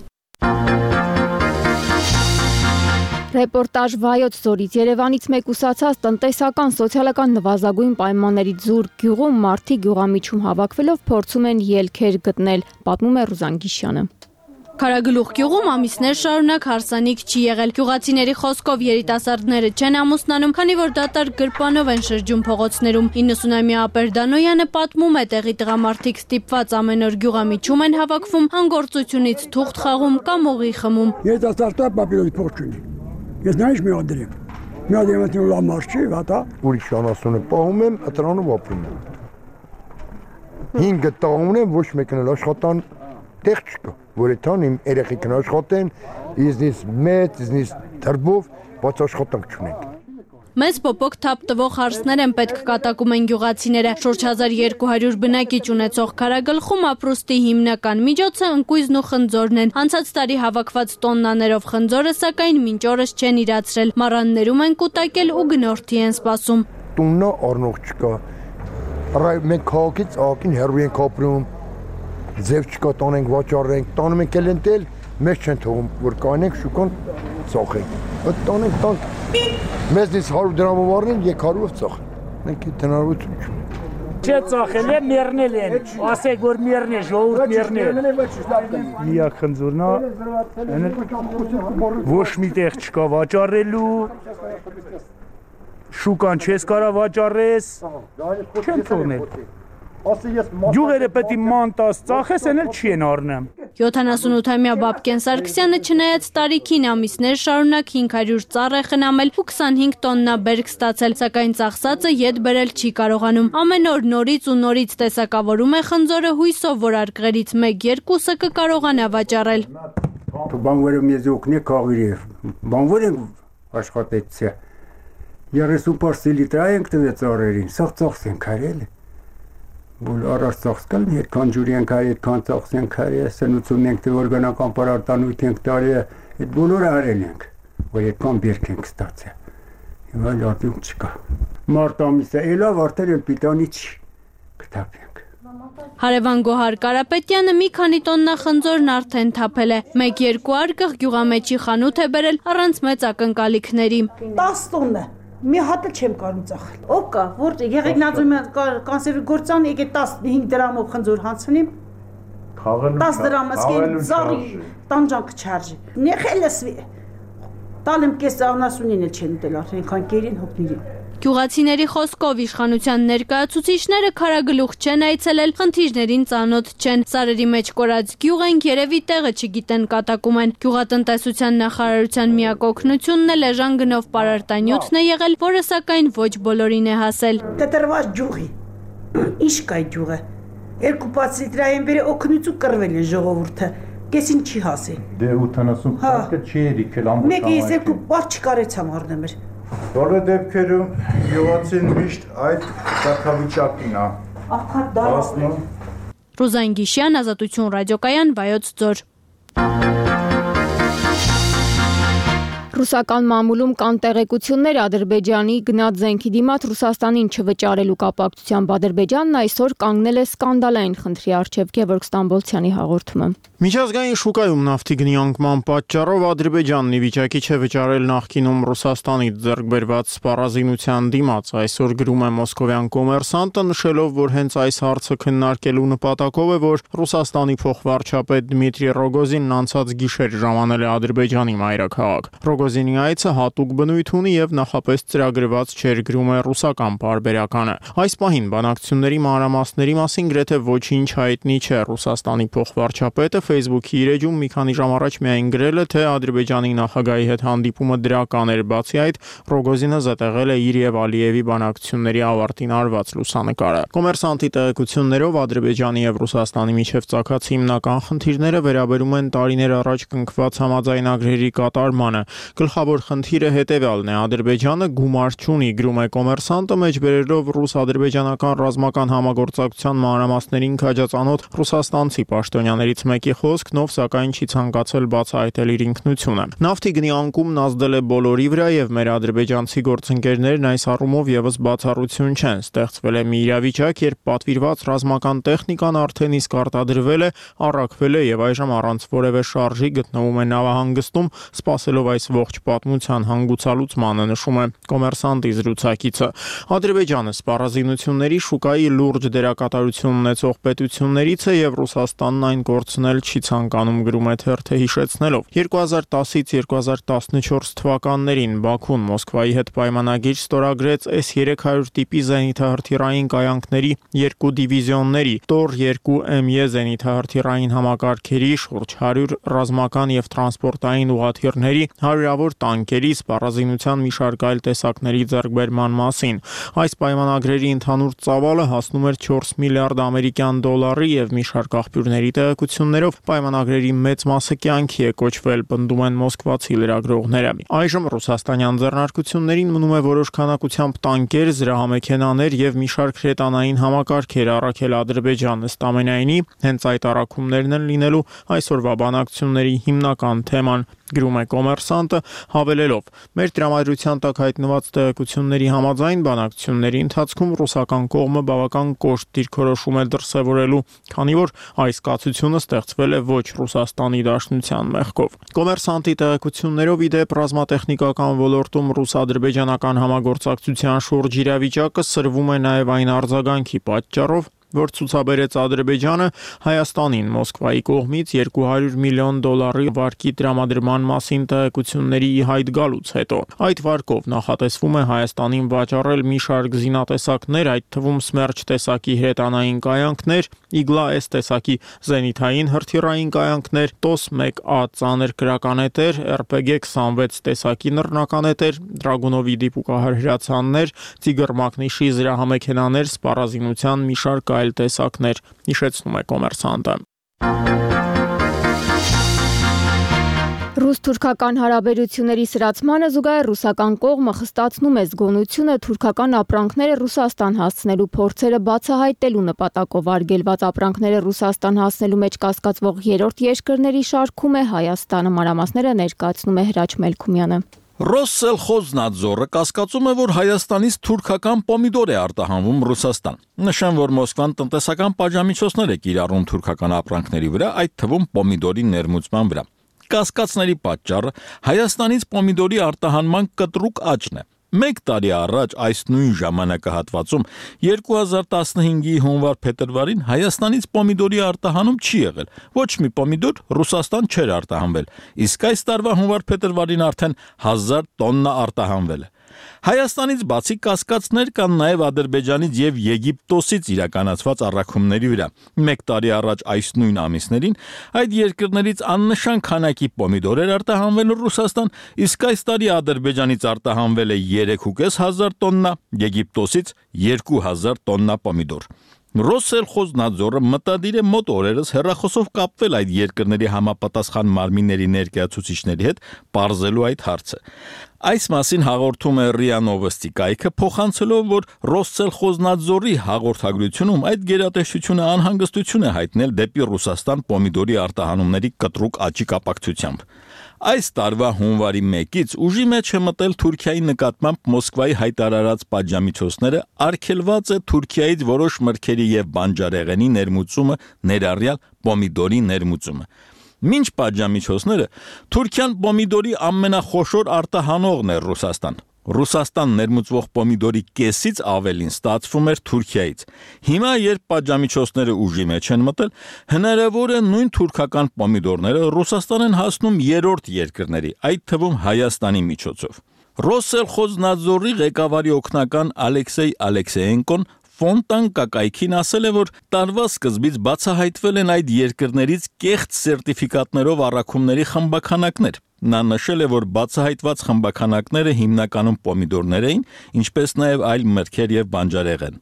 Ռեպորտաժ Վայոց ձորից Երևանից մեկուսացած տնտեսական սոցիալական նվազագույն պայմաններից զուրկ գյուղում մարդիկ գյուղամիջում հավաքվելով փորձում են ելքեր գտնել, պատմում է Ռուզան Գիշյանը։ Քարագլուխ գյուղում ամիսներ շարունակ հարսանիք չի եղել։ Գյուղացիների խոսքով երիտասարդները չեն ամուսնանում, քանի որ դատարկ գրպանով են շրջում փողոցներում։ 90-ամյա Ապերդանոյանը պատմում է, տեղի տղամարդիկ ստիպված ամեն օր գյուղամիջում են հավաքվում, հանգործությունից թուղթ խաղում կամ օղի խմում։ Երիտասարդը պապիրոս փող չունի։ Ես նայış մի անդրեմ։ Մի անդրեմ լամար չի, հատա։ Ուրիշ անասունը պահում եմ, ըտրանով ապրում եմ։ 5 տաղ ունեմ, ոչ մեկն էլ աշխատան տեղ չկա, որ այդան իմ երեխեքն աշխատեն, իզնից մեծ, իզնից դրբով, բայց աշխատանք չունենք։ Մեծ պոպոկ թափ տվող հարսներ են պետք կատակում են գյուղացիները։ Շուրջ 1200 բնակիչ ունեցող Քարագլխում ապրուստի հիմնական միջոցը ընկույզն ու խնձորն են։ Անցած տարի հավաքված տոննաներով խնձորը սակայն մինչ օրս չեն իրացրել։ Մառաններում են կուտակել ու գնորդի են սպասում։ Տուննա առնող չկա։ Մենք քաղաքից ակին հեռու ենք ապրում, ձև չկա, տանենք վաճառենք, տանում ենք էլ ընտել, մեզ չեն թողում, որ կանենք շուկան ծախենք։ Այդ տանենք տանք, մեզնից 100 դրամով առնեն, 200-ով ծախեն, մենք այդ հնարավորություն չունենք։ Չէ ծախել է, մերնել են, ասեք, որ մերն է, ժողովուրդ մերնել։ Միակ խնձորնա, ոչ մի տեղ չկա վաճառելու, շուկան չես կարա վաճառես, չեն թողնել։ Գյուղերը պետք է մանտաս ծախես, են էլ չի են առնեմ։ 78-ամյա Բաբկեն Սարգսյանը չնայած տարիքին ամիսներ շարունակ 500 ծառ է խնամել ու 25 տոննա բերք ստացել, սակայն ծախսածը ետ բերել չի կարողանում։ Ամեն օր նորից ու նորից տեսակավորում է խնձորը հույսով, որ արկղերից 1-2-ը կկարողանա վաճառել։ Բանվերը մեզ օգնի քաղիրև, բանվեր են աշխատեցիա, 30 լիտր ենք տվեց ծառերին, սաղ ծախս են կարել։ Որ առաջ ծախսկալ երկան ջուրի ենք արի, երկան ծախս ենք արի, սնուցում ենք, թե որ գնական պարարտանույթ ենք տարի, այդ բոլորը արել ենք, որ երկան բերք ենք ստացել, և այլ արդյունք չկա։ Մարտ ամիսը էլավ արդեն էլ պիտանի չի, կտապենք։ Հարևան Գոհար Կարապետյանը մի քանի տոննա խնձորն արդեն թափել է, 1-2 արկղ գյուղամեջի խանութ է բերել առանց մեծ ակնկալիքների։ 10 տոննա մի հատ չեմ կարող ծախել։ Ով կա, որտե եղեք նազում կանսերվի գործան, եկե 15 դրամով խնձոր հանցնիմ։ 10 դրամը սկեն զարի տանջանք չարժի։ Նեխելս տալեմ կես անասունին էլ չեն ուտել արդեն քանկերին հոգներին։ Գյուղացիների խոսքով իշխանության ներկայացուցիչները Քարագլուխ չեն այցելել, խնդիրներին ծանոթ չեն։ Սարերի մեջ կորած գյուղ են, երևի տեղը չգիտեն, կատակում են։ Գյուղատնտեսության նախարարության միակ օգնությունն էլ էժան գնով պարարտանյութն է եղել, որը սակայն ոչ բոլորին է հասել։ Տետրված ջուղի։ Ինչ կա ջուղը։ 2 լիտրային բերի օգնություն կռվել է ժողովուրդը։ Կեսին չի հասել։ Դե 80 փաստը չի եկել ամբողջ։ Մեկը ես 2 պարտ չկարեցամ առնել։ Բոլոր դեպքերում գյուղացին միշտ այդ կարգավիճակին է։ Ռուզան Գիշյան, Ազատություն ռադիոկայան, Վայոց ձոր։ Ռուսական մամուլում կան տեղեկություններ Ադրբեջանի գնած զենքի դիմաց Ռուսաստանին չվճարելու կապակցությամբ Ադրբեջանն այսօր կանգնել է սկանդալային խնդրի առջև, Գևորգ Ստամբոլցյանի հաղորդումը։ Միջազգային շուկայում նավթի գնի անկման պատճառով Ադրբեջանն ի վիճակի չէ վճարել նախկինում Ռուսաստանից ձեռք բերված սպառազինության դիմաց, այսօր գրում է մոսկովյան Կոմերսանտը, նշելով, որ հենց այս հարցը քննարկելու նպատակով է, որ Ռուսաստանի փոխվարչապետ Դմիտրի Ռոգոզինն անցած գիշեր ժամանել է Ադրբեջանի մայրաքաղաք։ Ռոգոզինի այցը հատուկ բնույթ ունի եւ նախապես ծրագրված չէր, գրում է ռուսական պարբերականը։ Այս պահին բանակցությունների մանրամասների մասին գրեթե ոչինչ հայտնի չէ։ Ռուսաստանի փոխվարչապետը Facebook-ի իր էջում մի քանի ժամ առաջ միայն գրել է, թե Ադրբեջանի նախագահի հետ հանդիպումը դրական էր, բացի այդ Ռոգոզինը զետեղել է իր եւ Ալիևի բանակցությունների ավարտին արված լուսանկարը։ Կոմերսանտի տեղեկություններով Ադրբեջանի եւ Ռուսաստանի միջև ծագած հիմնական խնդիրները վերաբերում են տարիներ առաջ կնքված համաձայնագրերի կատարմանը։ Գլխավոր խնդիրը հետևյալն է. Ադրբեջանը գումար չունի, գրում է Կոմերսանտը, մեջբերելով ռուս-ադրբեջանական ռազմական համագործակցության մանրամասներին քաջածանոթ ռուսաստանցի պաշտոնյաներից մեկի խոսքն, ով սակայն չի ցանկացել բացահայտել իր ինքնությունը։ Նավթի գնի անկումն ազդել է բոլորի վրա եւ մեր ադրբեջանցի գործընկերներն այս առումով եւս բացառություն չեն։ Ստեղծվել է մի իրավիճակ, երբ պատվիրված ռազմական տեխնիկան արդեն իսկ արտադրվել է, առաքվել է եւ այժմ առանց որևէ շարժի գտնվում է նավահանգստում, սպասելով այս ողջ պատմության հանգուցալուծմանը, նշում է Կոմերսանտի զրուցակիցը։ Ադրբեջանը սպառազինությունների շուկայի լուրջ դերակատարություն ունեցող պետություններից է եւ Ռուսաստանն այն կորցնել չի ցանկանում, գրում է թերթը, հիշեցնելով 2010-ից 2014 թվականներին Բաքուն Մոսկվայի հետ պայմանագիր ստորագրեց S-300 տիպի զենիթահրթիռային կայանքների 2 դիվիզիոնների, Տոր-2 ME զենիթահրթիռային համակարգերի, շուրջ 100 ռազմական եւ տրանսպորտային ուղղաթիռների, հարյուրավոր տանկերի, սպառազինության մի շարք այլ տեսակների ձեռքբերման մասին։ Այս պայմանագրերի ընդհանուր ծավալը հասնում էր 4 միլիարդ ամերիկյան դոլարի եւ մի շարք աղբյուրների տեղեկություններով պայմանագրերի մեծ մասը կյանքի է կոչվել, պնդում են մոսկվացի լրագրողները։ Այժմ ռուսաստանյան ձեռնարկություններին մնում է որոշ քանակությամբ տանկեր, զրահամեքենաներ եւ մի շարք հրետանային համակարգեր առաքել Ադրբեջանը, ըստ ամենայնի հենց այդ առաքումներն են լինելու այսօրվա բանակցությունների հիմնական թեման, գրում է Կոմերսանտը, հավելելով. մեր տրամադրության տակ հայտնված տեղեկությունների համաձայն բանակցությունների ընթացքում ռուսական կողմը բավական կոշտ դիրքորոշում է դրսևորելու, քանի որ այս կացությունը ստեղծվել է ոչ Ռուսաստանի Դաշնության մեղքով։ Կոմերսանտի տեղեկություններով ի դեպ ռազմատեխնիկական ոլորտում ռուս-ադրբեջանական համագործակցության շուրջ իրավիճակը սրվում է նաև այն արձագանքի պատճառով, որ ցուցաբերեց Ադրբեջանը Հայաստանին Մոսկվայի կողմից 200 միլիոն դոլարի վարկի տրամադրման մասին տեղեկությունների ի հայտ գալուց հետո։ Այդ վարկով նախատեսվում է Հայաստանին վաճառել մի շարք զինատեսակներ, այդ թվում Սմերջ տեսակի հրետանային կայանքներ, Իգլա-S տեսակի զենիթային հրթիռային կայանքներ, TOS-1A ծանր կրականետեր, RPG-26 տեսակի նռնականետեր, Դրագունովի դիպուկահար հրացաններ, Տիգր մագնիշի զրահամեքենաներ, սպառազինության մի շարք այլ տեսակներ, հիշեցնում է Կոմերսանտը։ Ռուս-թուրքական հարաբերությունների սրացմանը զուգահեռ ռուսական կողմը խստացնում է զգոնությունը թուրքական ապրանքները Ռուսաստան հասցնելու փորձերը բացահայտելու նպատակով արգելված ապրանքները Ռուսաստան հասցնելու մեջ կասկածվող երրորդ երկրների շարքում է Հայաստանը, մանրամասները ներկայացնում է Հրաչ Մելքումյանը։ Ռոսսելխոզնադզորը կասկածում է, որ Հայաստանից թուրքական պոմիդոր է արտահանվում Ռուսաստան։ Նշեմ, որ Մոսկվան տնտեսական պատժամիջոցներ է կիրառում թուրքական ապրանքների վրա, այդ թվում պոմիդորի ներմուծման վրա։ Կասկածների պատճառը Հայաստանից պոմիդորի արտահանման կտրուկ աճն է։ Մեկ տարի առաջ այս նույն ժամանակահատվածում 2015-ի հունվար-փետրվարին Հայաստանից պոմիդորի արտահանում չի եղել։ Ոչ մի պոմիդոր Ռուսաստան չէր արտահանվել, իսկ այս տարվա հունվար-փետրվարին արդեն 1000 տոննա արտահանվել է։ Հայաստանից բացի կասկածներ կան նաև Ադրբեջանից եւ Եգիպտոսից իրականացված առաքումների վրա։ Մեկ տարի առաջ այս նույն ամիսներին այդ երկրներից աննշան քանակի պոմիդոր էր արտահանվել Ռուսաստան, իսկ այս տարի Ադրբեջանից արտահանվել է 3500 տոննա, Եգիպտոսից 2000 տոննա պոմիդոր։ Ռոսսելխոզնադզորը մտադիր է մոտ օրերս հեռախոսով կապվել այդ երկրների համապատասխան մարմինների ներկայացուցիչների հետ, պարզելու այդ հարցը։ Այս մասին հաղորդում է ՌԻԱ Նովոստի կայքը, փոխանցելով, որ Ռոսսելխոզնադզորի հաղորդագրությունում այդ գերատեսչությունը անհանգստություն է հայտնել դեպի Ռուսաստան պոմիդորի արտահանումների կտրուկ աճի կապակցությամբ։ Այս տարվա հունվարի 1-ից ուժի մեջ է մտել Թուրքիայի նկատմամբ Մոսկվայի հայտարարած պատժամիջոցները, արգելված է Թուրքիայից որոշ մրգերի եւ բանջարեղենի ներմուծումը, ներառյալ պոմիդորի ներմուծումը։ Մինչ պատժամիջոցները Թուրքիան պոմիդորի ամենախոշոր արտահանողն է Ռուսաստան։ Ռուսաստան ներմուծվող պոմիդորի կեսից ավելին ստացվում էր Թուրքիայից։ Հիմա, երբ պատժամիջոցները ուժի մեջ են մտել, հնարավոր է նույն թուրքական պոմիդորները Ռուսաստան են հասնում երրորդ երկրների, այդ թվում Հայաստանի միջոցով։ Ռոսսելխոզնադզորի ղեկավարի օգնական Ալեքսեյ Ալեքսեյենկոն Ֆոնտան կակայքին ասել է, որ տարվա սկզբից բացահայտվել են այդ երկրներից կեղծ սերտիֆիկատներով առաքումների խմբաքանակներ։ Նա նշել է, որ բացահայտված խմբաքանակները հիմնականում պոմիդորներ էին, ինչպես նաև այլ մրգեր եւ բանջարեղեն։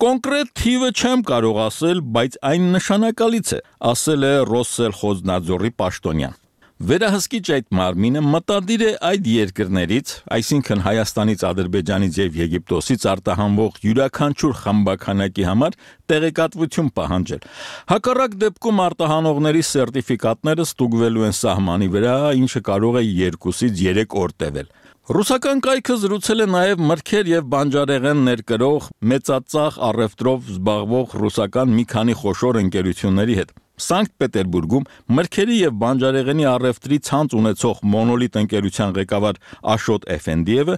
Կոնկրետ թիվը չեմ կարող ասել, բայց այն նշանակալից է, ասել է Ռոսսելխոզնադզորի պաշտոնյան։ Վերահսկիչ այդ մարմինը մտադիր է այդ երկրներից, այսինքն Հայաստանից, Ադրբեջանից եւ Եգիպտոսից արտահանվող յուրաքանչյուր խմբաքանակի համար տեղեկատվություն պահանջել։ Հակառակ դեպքում արտահանողների սերտիֆիկատները ստուգվելու են սահմանի վրա, ինչը կարող է 2-ից 3 օր տևել։ Ռուսական կայքը զրուցել է նաև մրգեր եւ բանջարեղեն ներկրող մեծածախ առևտրով զբաղվող ռուսական մի քանի խոշոր ընկերությունների հետ։ Սանկտ Պետերբուրգում մրգերի եւ բանջարեղենի առևտրի ցանց ունեցող Մոնոլիտ ընկերության ղեկավար Աշոտ Էֆենդիևը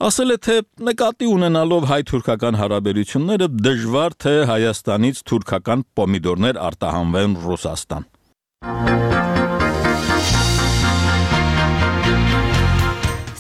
ասել է, թե նկատի ունենալով հայ-թուրքական հարաբերությունները դժվար թե Հայաստանից թուրքական պոմիդորներ արտահանվեն Ռուսաստան։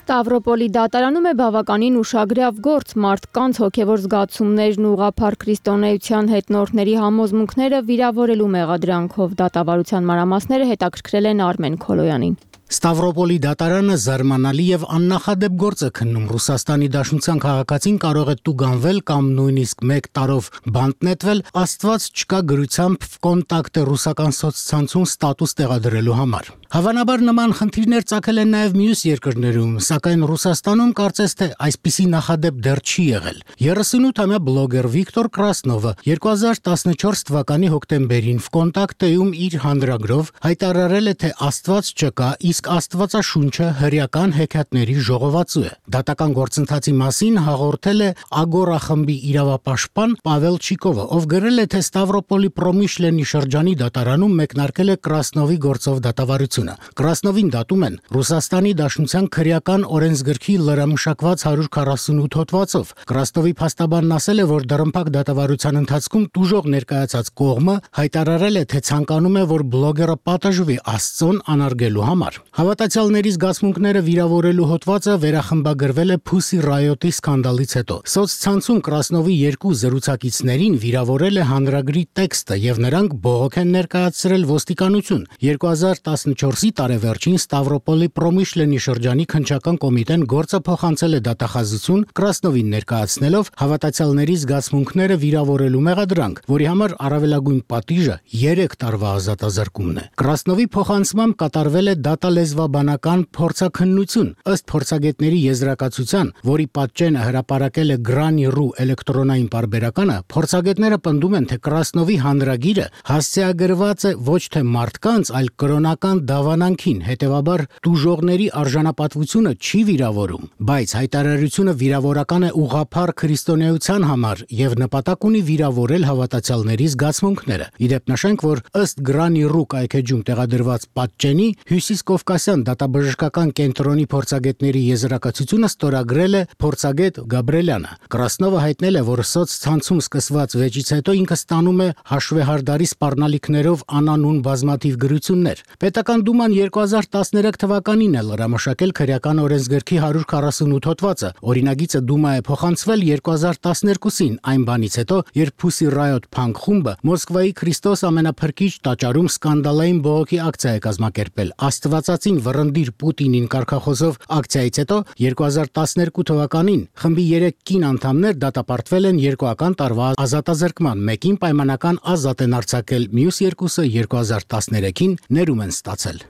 Ստավրոպոլի դատարանում է բավականին ուշագրավ գործ մարդկանց հոգևոր զգացումներն ուղղափառ քրիստոնեության հետնորդների համոզմունքները վիրավորելու մեղադրանքով դատավարության մանրամասները հետաքրքրել են Արմեն Քոլոյանին։ Ստավրոպոլի դատարանը զարմանալի եւ աննախադեպ գործ է քննում Ռուսաստանի Դաշնության քաղաքացին կարող է տուգանվել կամ նույնիսկ 1 տարով բանտ նետվել Աստված չկա գրությամբ կոնտակտը ռուսական սոցցանցում ստատուս տեղադրելու համար։ Հավանաբար նման խնդիրներ ծագել են նաև մյուս երկրներում, սակայն Ռուսաստանում կարծես թե այսպիսի նախադեպ դեռ չի եղել։ 38-ամյա բլոգեր Վիկտոր Կրասնովը 2014 թվականի հոկտեմբերին VKontakte-ում իր հանրագրով հայտարարել է, թե Աստված չկա, իսկ Աստվածաշունչը հրեական հեքիաթների ժողովածու է։ Դատական գործընթացի մասին հաղորդել է Ագորա խմբի իրավապաշտպան Պավել Չիկովը, ով գրել է, թե Ստավրոպոլի Պրոմիշլենի շրջանի դատարանում մեկնարկել է Կրասնովի գործով դատավարություն։ Կրասնովին դատում են Ռուսաստանի Դաշնության քրեական օրենսգրքի լրամշակված 148 հոդվածով։ Կրասնովի փաստաբանն ասել է, որ դռնփակ դատավարության ընթացքում տուժող ներկայացած կողմը հայտարարել է, թե ցանկանում է, որ բլոգերը պատժվի Աստծուն անարգելու համար։ Հավատացյալների զգացմունքները վիրավորելու հոդվածը վերախմբագրվել է Pussy Riot-ի սկանդալից հետո։ Սոցցանցում Կրասնովի երկու զրուցակիցներին վիրավորել է հանրագրի տեքստը եւ նրանք բողոք են ներկայացրել ոստիկանություն։ 2014-ի տարեվերջին Ստավրոպոլի Պրոմիշլենի շրջանի քննչական կոմիտեն գործը փոխանցել է դատախազություն Կրասնովին ներկայացնելով հավատացյալների զգացմունքները վիրավորելու մեղադրանք, որի համար առավելագույն պատիժը 3 տարվա ազատազրկումն է։ Կրասնովի փոխանցմամբ կատարվել է դատալեզվաբանական փորձաքննություն, ըստ փորձագետների եզրակացության, որի պատճենը հրապարակել է Grani.ru էլեկտրոնային պարբերականը, փորձագետները պնդում են, թե Կրասնովի հանրագիրը հասցեագրված է ոչ թե մարդկանց, այլ կրոնական դավանանքին, հետևաբար տուժողների արժանապատվությունը չի վիրավորում, բայց հայտարարությունը վիրավորական է ուղղափառ քրիստոնեության համար եւ նպատակ ունի վիրավորել հավատացյալների զգացմունքները։ Իդեպ նշենք, որ ըստ Grani.ru կայքեջում տեղադրված պատճենի Հյուսիսկովկասյան դատաբժշկական կենտրոնի փորձագետների եզրակացությունը ստորագրել է փորձագետ Գաբրելյանը։ Կրասնովը հայտնել է, որ սոցցանցում սկսված վեճից հետո ինքը ստանում է հաշվեհարդարի սպառնալիքներով անանուն բազմաթիվ գրություններ։ Պետական դուման 2013 թվականին է լրամշակել քրեական օրենսգրքի 148 հոդվածը։ Օրինագիծը դումա է փոխանցվել 2012-ին, այն բանից հետո, երբ Pussy Riot փանկ խումբը Մոսկվայի Քրիստոս ամենափրկիչ տաճարում սկանդալային բողոքի ակցիա է կազմակերպել։ Աստվածածին վռնդիր Պուտինին կարգախոսով ակցիայից հետո 2012 թվականին խմբի 3 կին անդամներ դատապարտվել են 2 տարվա ազատազրկման, մեկին պայմանական ազատ են արձակել, մյուս երկուսը 2013-ին ներում են ստացել։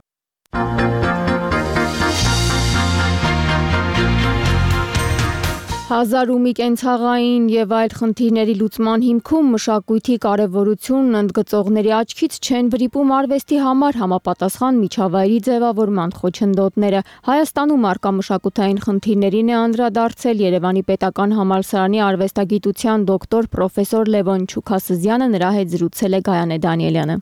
Հազարումի կենցաղային եւ այլ խնդիրների լուծման հիմքում մշակույթի կարեւորությունն ընդգծողների աչքից չեն վրիպում արվեստի համար համապատասխան միջավայրի ձևավորման խոչընդոտները։ Հայաստանում արկա մշակութային խնդիրներին է անդրադարձել Երևանի պետական համալսարանի արվեստագիտության դոկտոր պրոֆեսոր Լևոն Չուքասզյանը, նրա հետ զրուցել է Գայանե Դանիելյանը։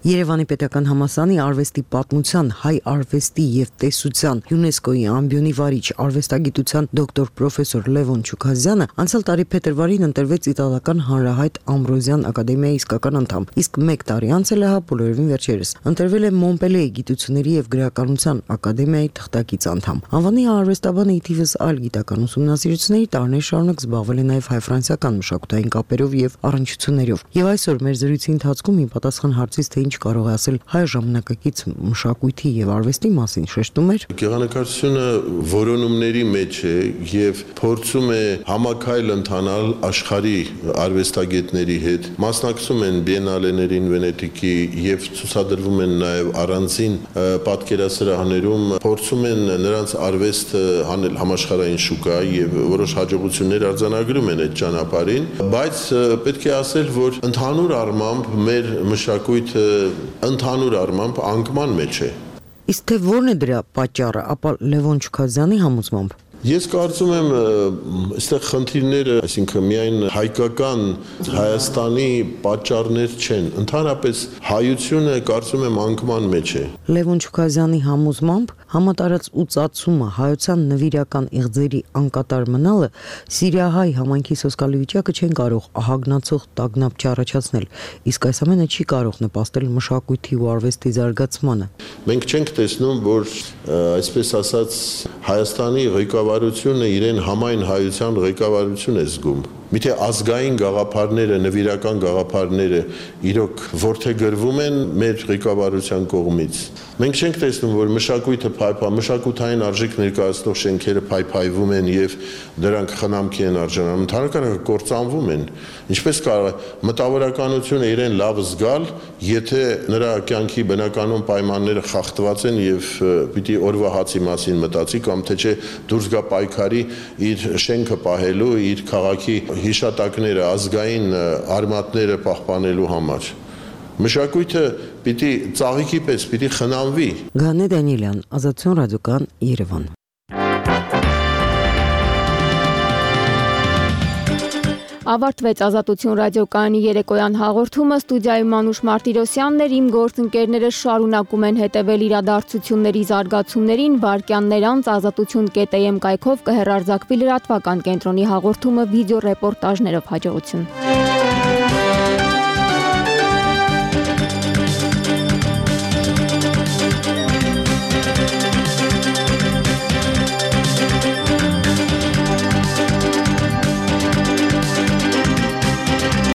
Երևանի պետական համալսարանի արվեստի պատմության, հայ արվեստի եւ տեսության ՅՈՒՆԵՍԿՕ-ի ամբիոնի վարիչ արվեստագիտության դոկտոր պրոֆեսոր Լևոն Չուքասզյանը անցյալ տարի փետրվարին ընտրվեց իտալական հանրահայտ Ամբրոզյան ակադեմիայի իսկական անդամ, իսկ 1 տարի անց էլ բոլորովին վերջերս ընտրվել է Մոնպելիեի գիտությունների եւ գրականության ակադեմիայի թղթակից անդամ։ Անվանի արվեստաբանը ի թիվս այլ գիտական ուսումնասիրությունների տարիներ շարունակ զբաղվել է նաեւ հայ-ֆրանսիական մշակութային կապերով եւ առնչություններով։ Եվ այսօր մեր զրույցի ընթացքում ի պատասխան հարցից թե ինչ կարող է ասել հայ ժամանակակից մշակույթի եւ արվեստի մասին շեշտում էր. Գեղանկարչությունը որոնումների մեջ է եւ փորձում է համակայլ ընթանալ աշխարհի արվեստագետների հետ, մասնակցում են բիենալեներին Վենետիկի եւ ցուցադրվում են նաեւ առանձին պատկերասրահներում, փորձում են նրանց արվեստը հանել համաշխարհային շուկա եւ որոշ հաջողություններ արձանագրում են այդ ճանապարհին, բայց պետք է ասել, որ ընդհանուր առմամբ մեր մշակույթը ընդհանուր առմամբ անկման մեջ է։ Իսկ թե որն է դրա պատճառը, ապա Լևոն Չուքասզյանի համոզմամբ Ես կարծում եմ, այստեղ խնդիրները, այսինքն միայն հայկական Հայաստանի պատճառներ չեն, ընդհանրապես հայությունը կարծում եմ անկման մեջ է։ Լևոն Չուքազյանի համոզմամբ համատարած ու ծածումը հայության նվիրական իղձերի անկատար մնալը սիրիահայ համայնքի սոսկալի վիճակը չեն կարող ահագնացող տագնապ չառաջացնել, իսկ այս ամենը չի կարող նպաստել մշակույթի ու արվեստի զարգացմանը։ Մենք չենք տեսնում, որ այսպես ասած Հայաստանի ղեկավարությունը իրեն համայն հայության ղեկավարություն է զգում։ Միթե ազգային գաղափարները, նվիրական գաղափարները իրոք որդեգրվում են մեր ղեկավարության կողմից։ Մենք չենք տեսնում, որ մշակութային արժեք ներկայացնող շենքերը փայփայվում են եւ դրանք խնամքի են արժանանում, ընդհանրապես կործանվում են։ Ինչպես կարող է մտավորականությունը իրեն լավ զգալ, եթե նրա կյանքի բնականon պայմանները խախտված են եւ պիտի օրվա հացի մասին մտածի կամ թե չէ դուրս գա պայքարի իր շենքը պահելու, իր քաղաքի հիշատակները, ազգային արմատները պահպանելու համար։ Մշակույթը պիտի ծաղիկի պես պիտի խնամվի։ Գանե Դանիելյան, Ազատություն ռադիոկան, Երևան։ Ավարտվեց Ազատություն ռադիոկայանի երեկոյան հաղորդումը, ստուդիայում Մանուշ Մարտիրոսյանն էր, իմ գործընկերները շարունակում են հետևել իրադարձությունների զարգացումներին, վայրկյաններ անց ազատություն.am կայքով կհեռարձակվի լրատվական կենտրոնի հաղորդումը վիդեո ռեպորտաժներով։ Հաջողություն։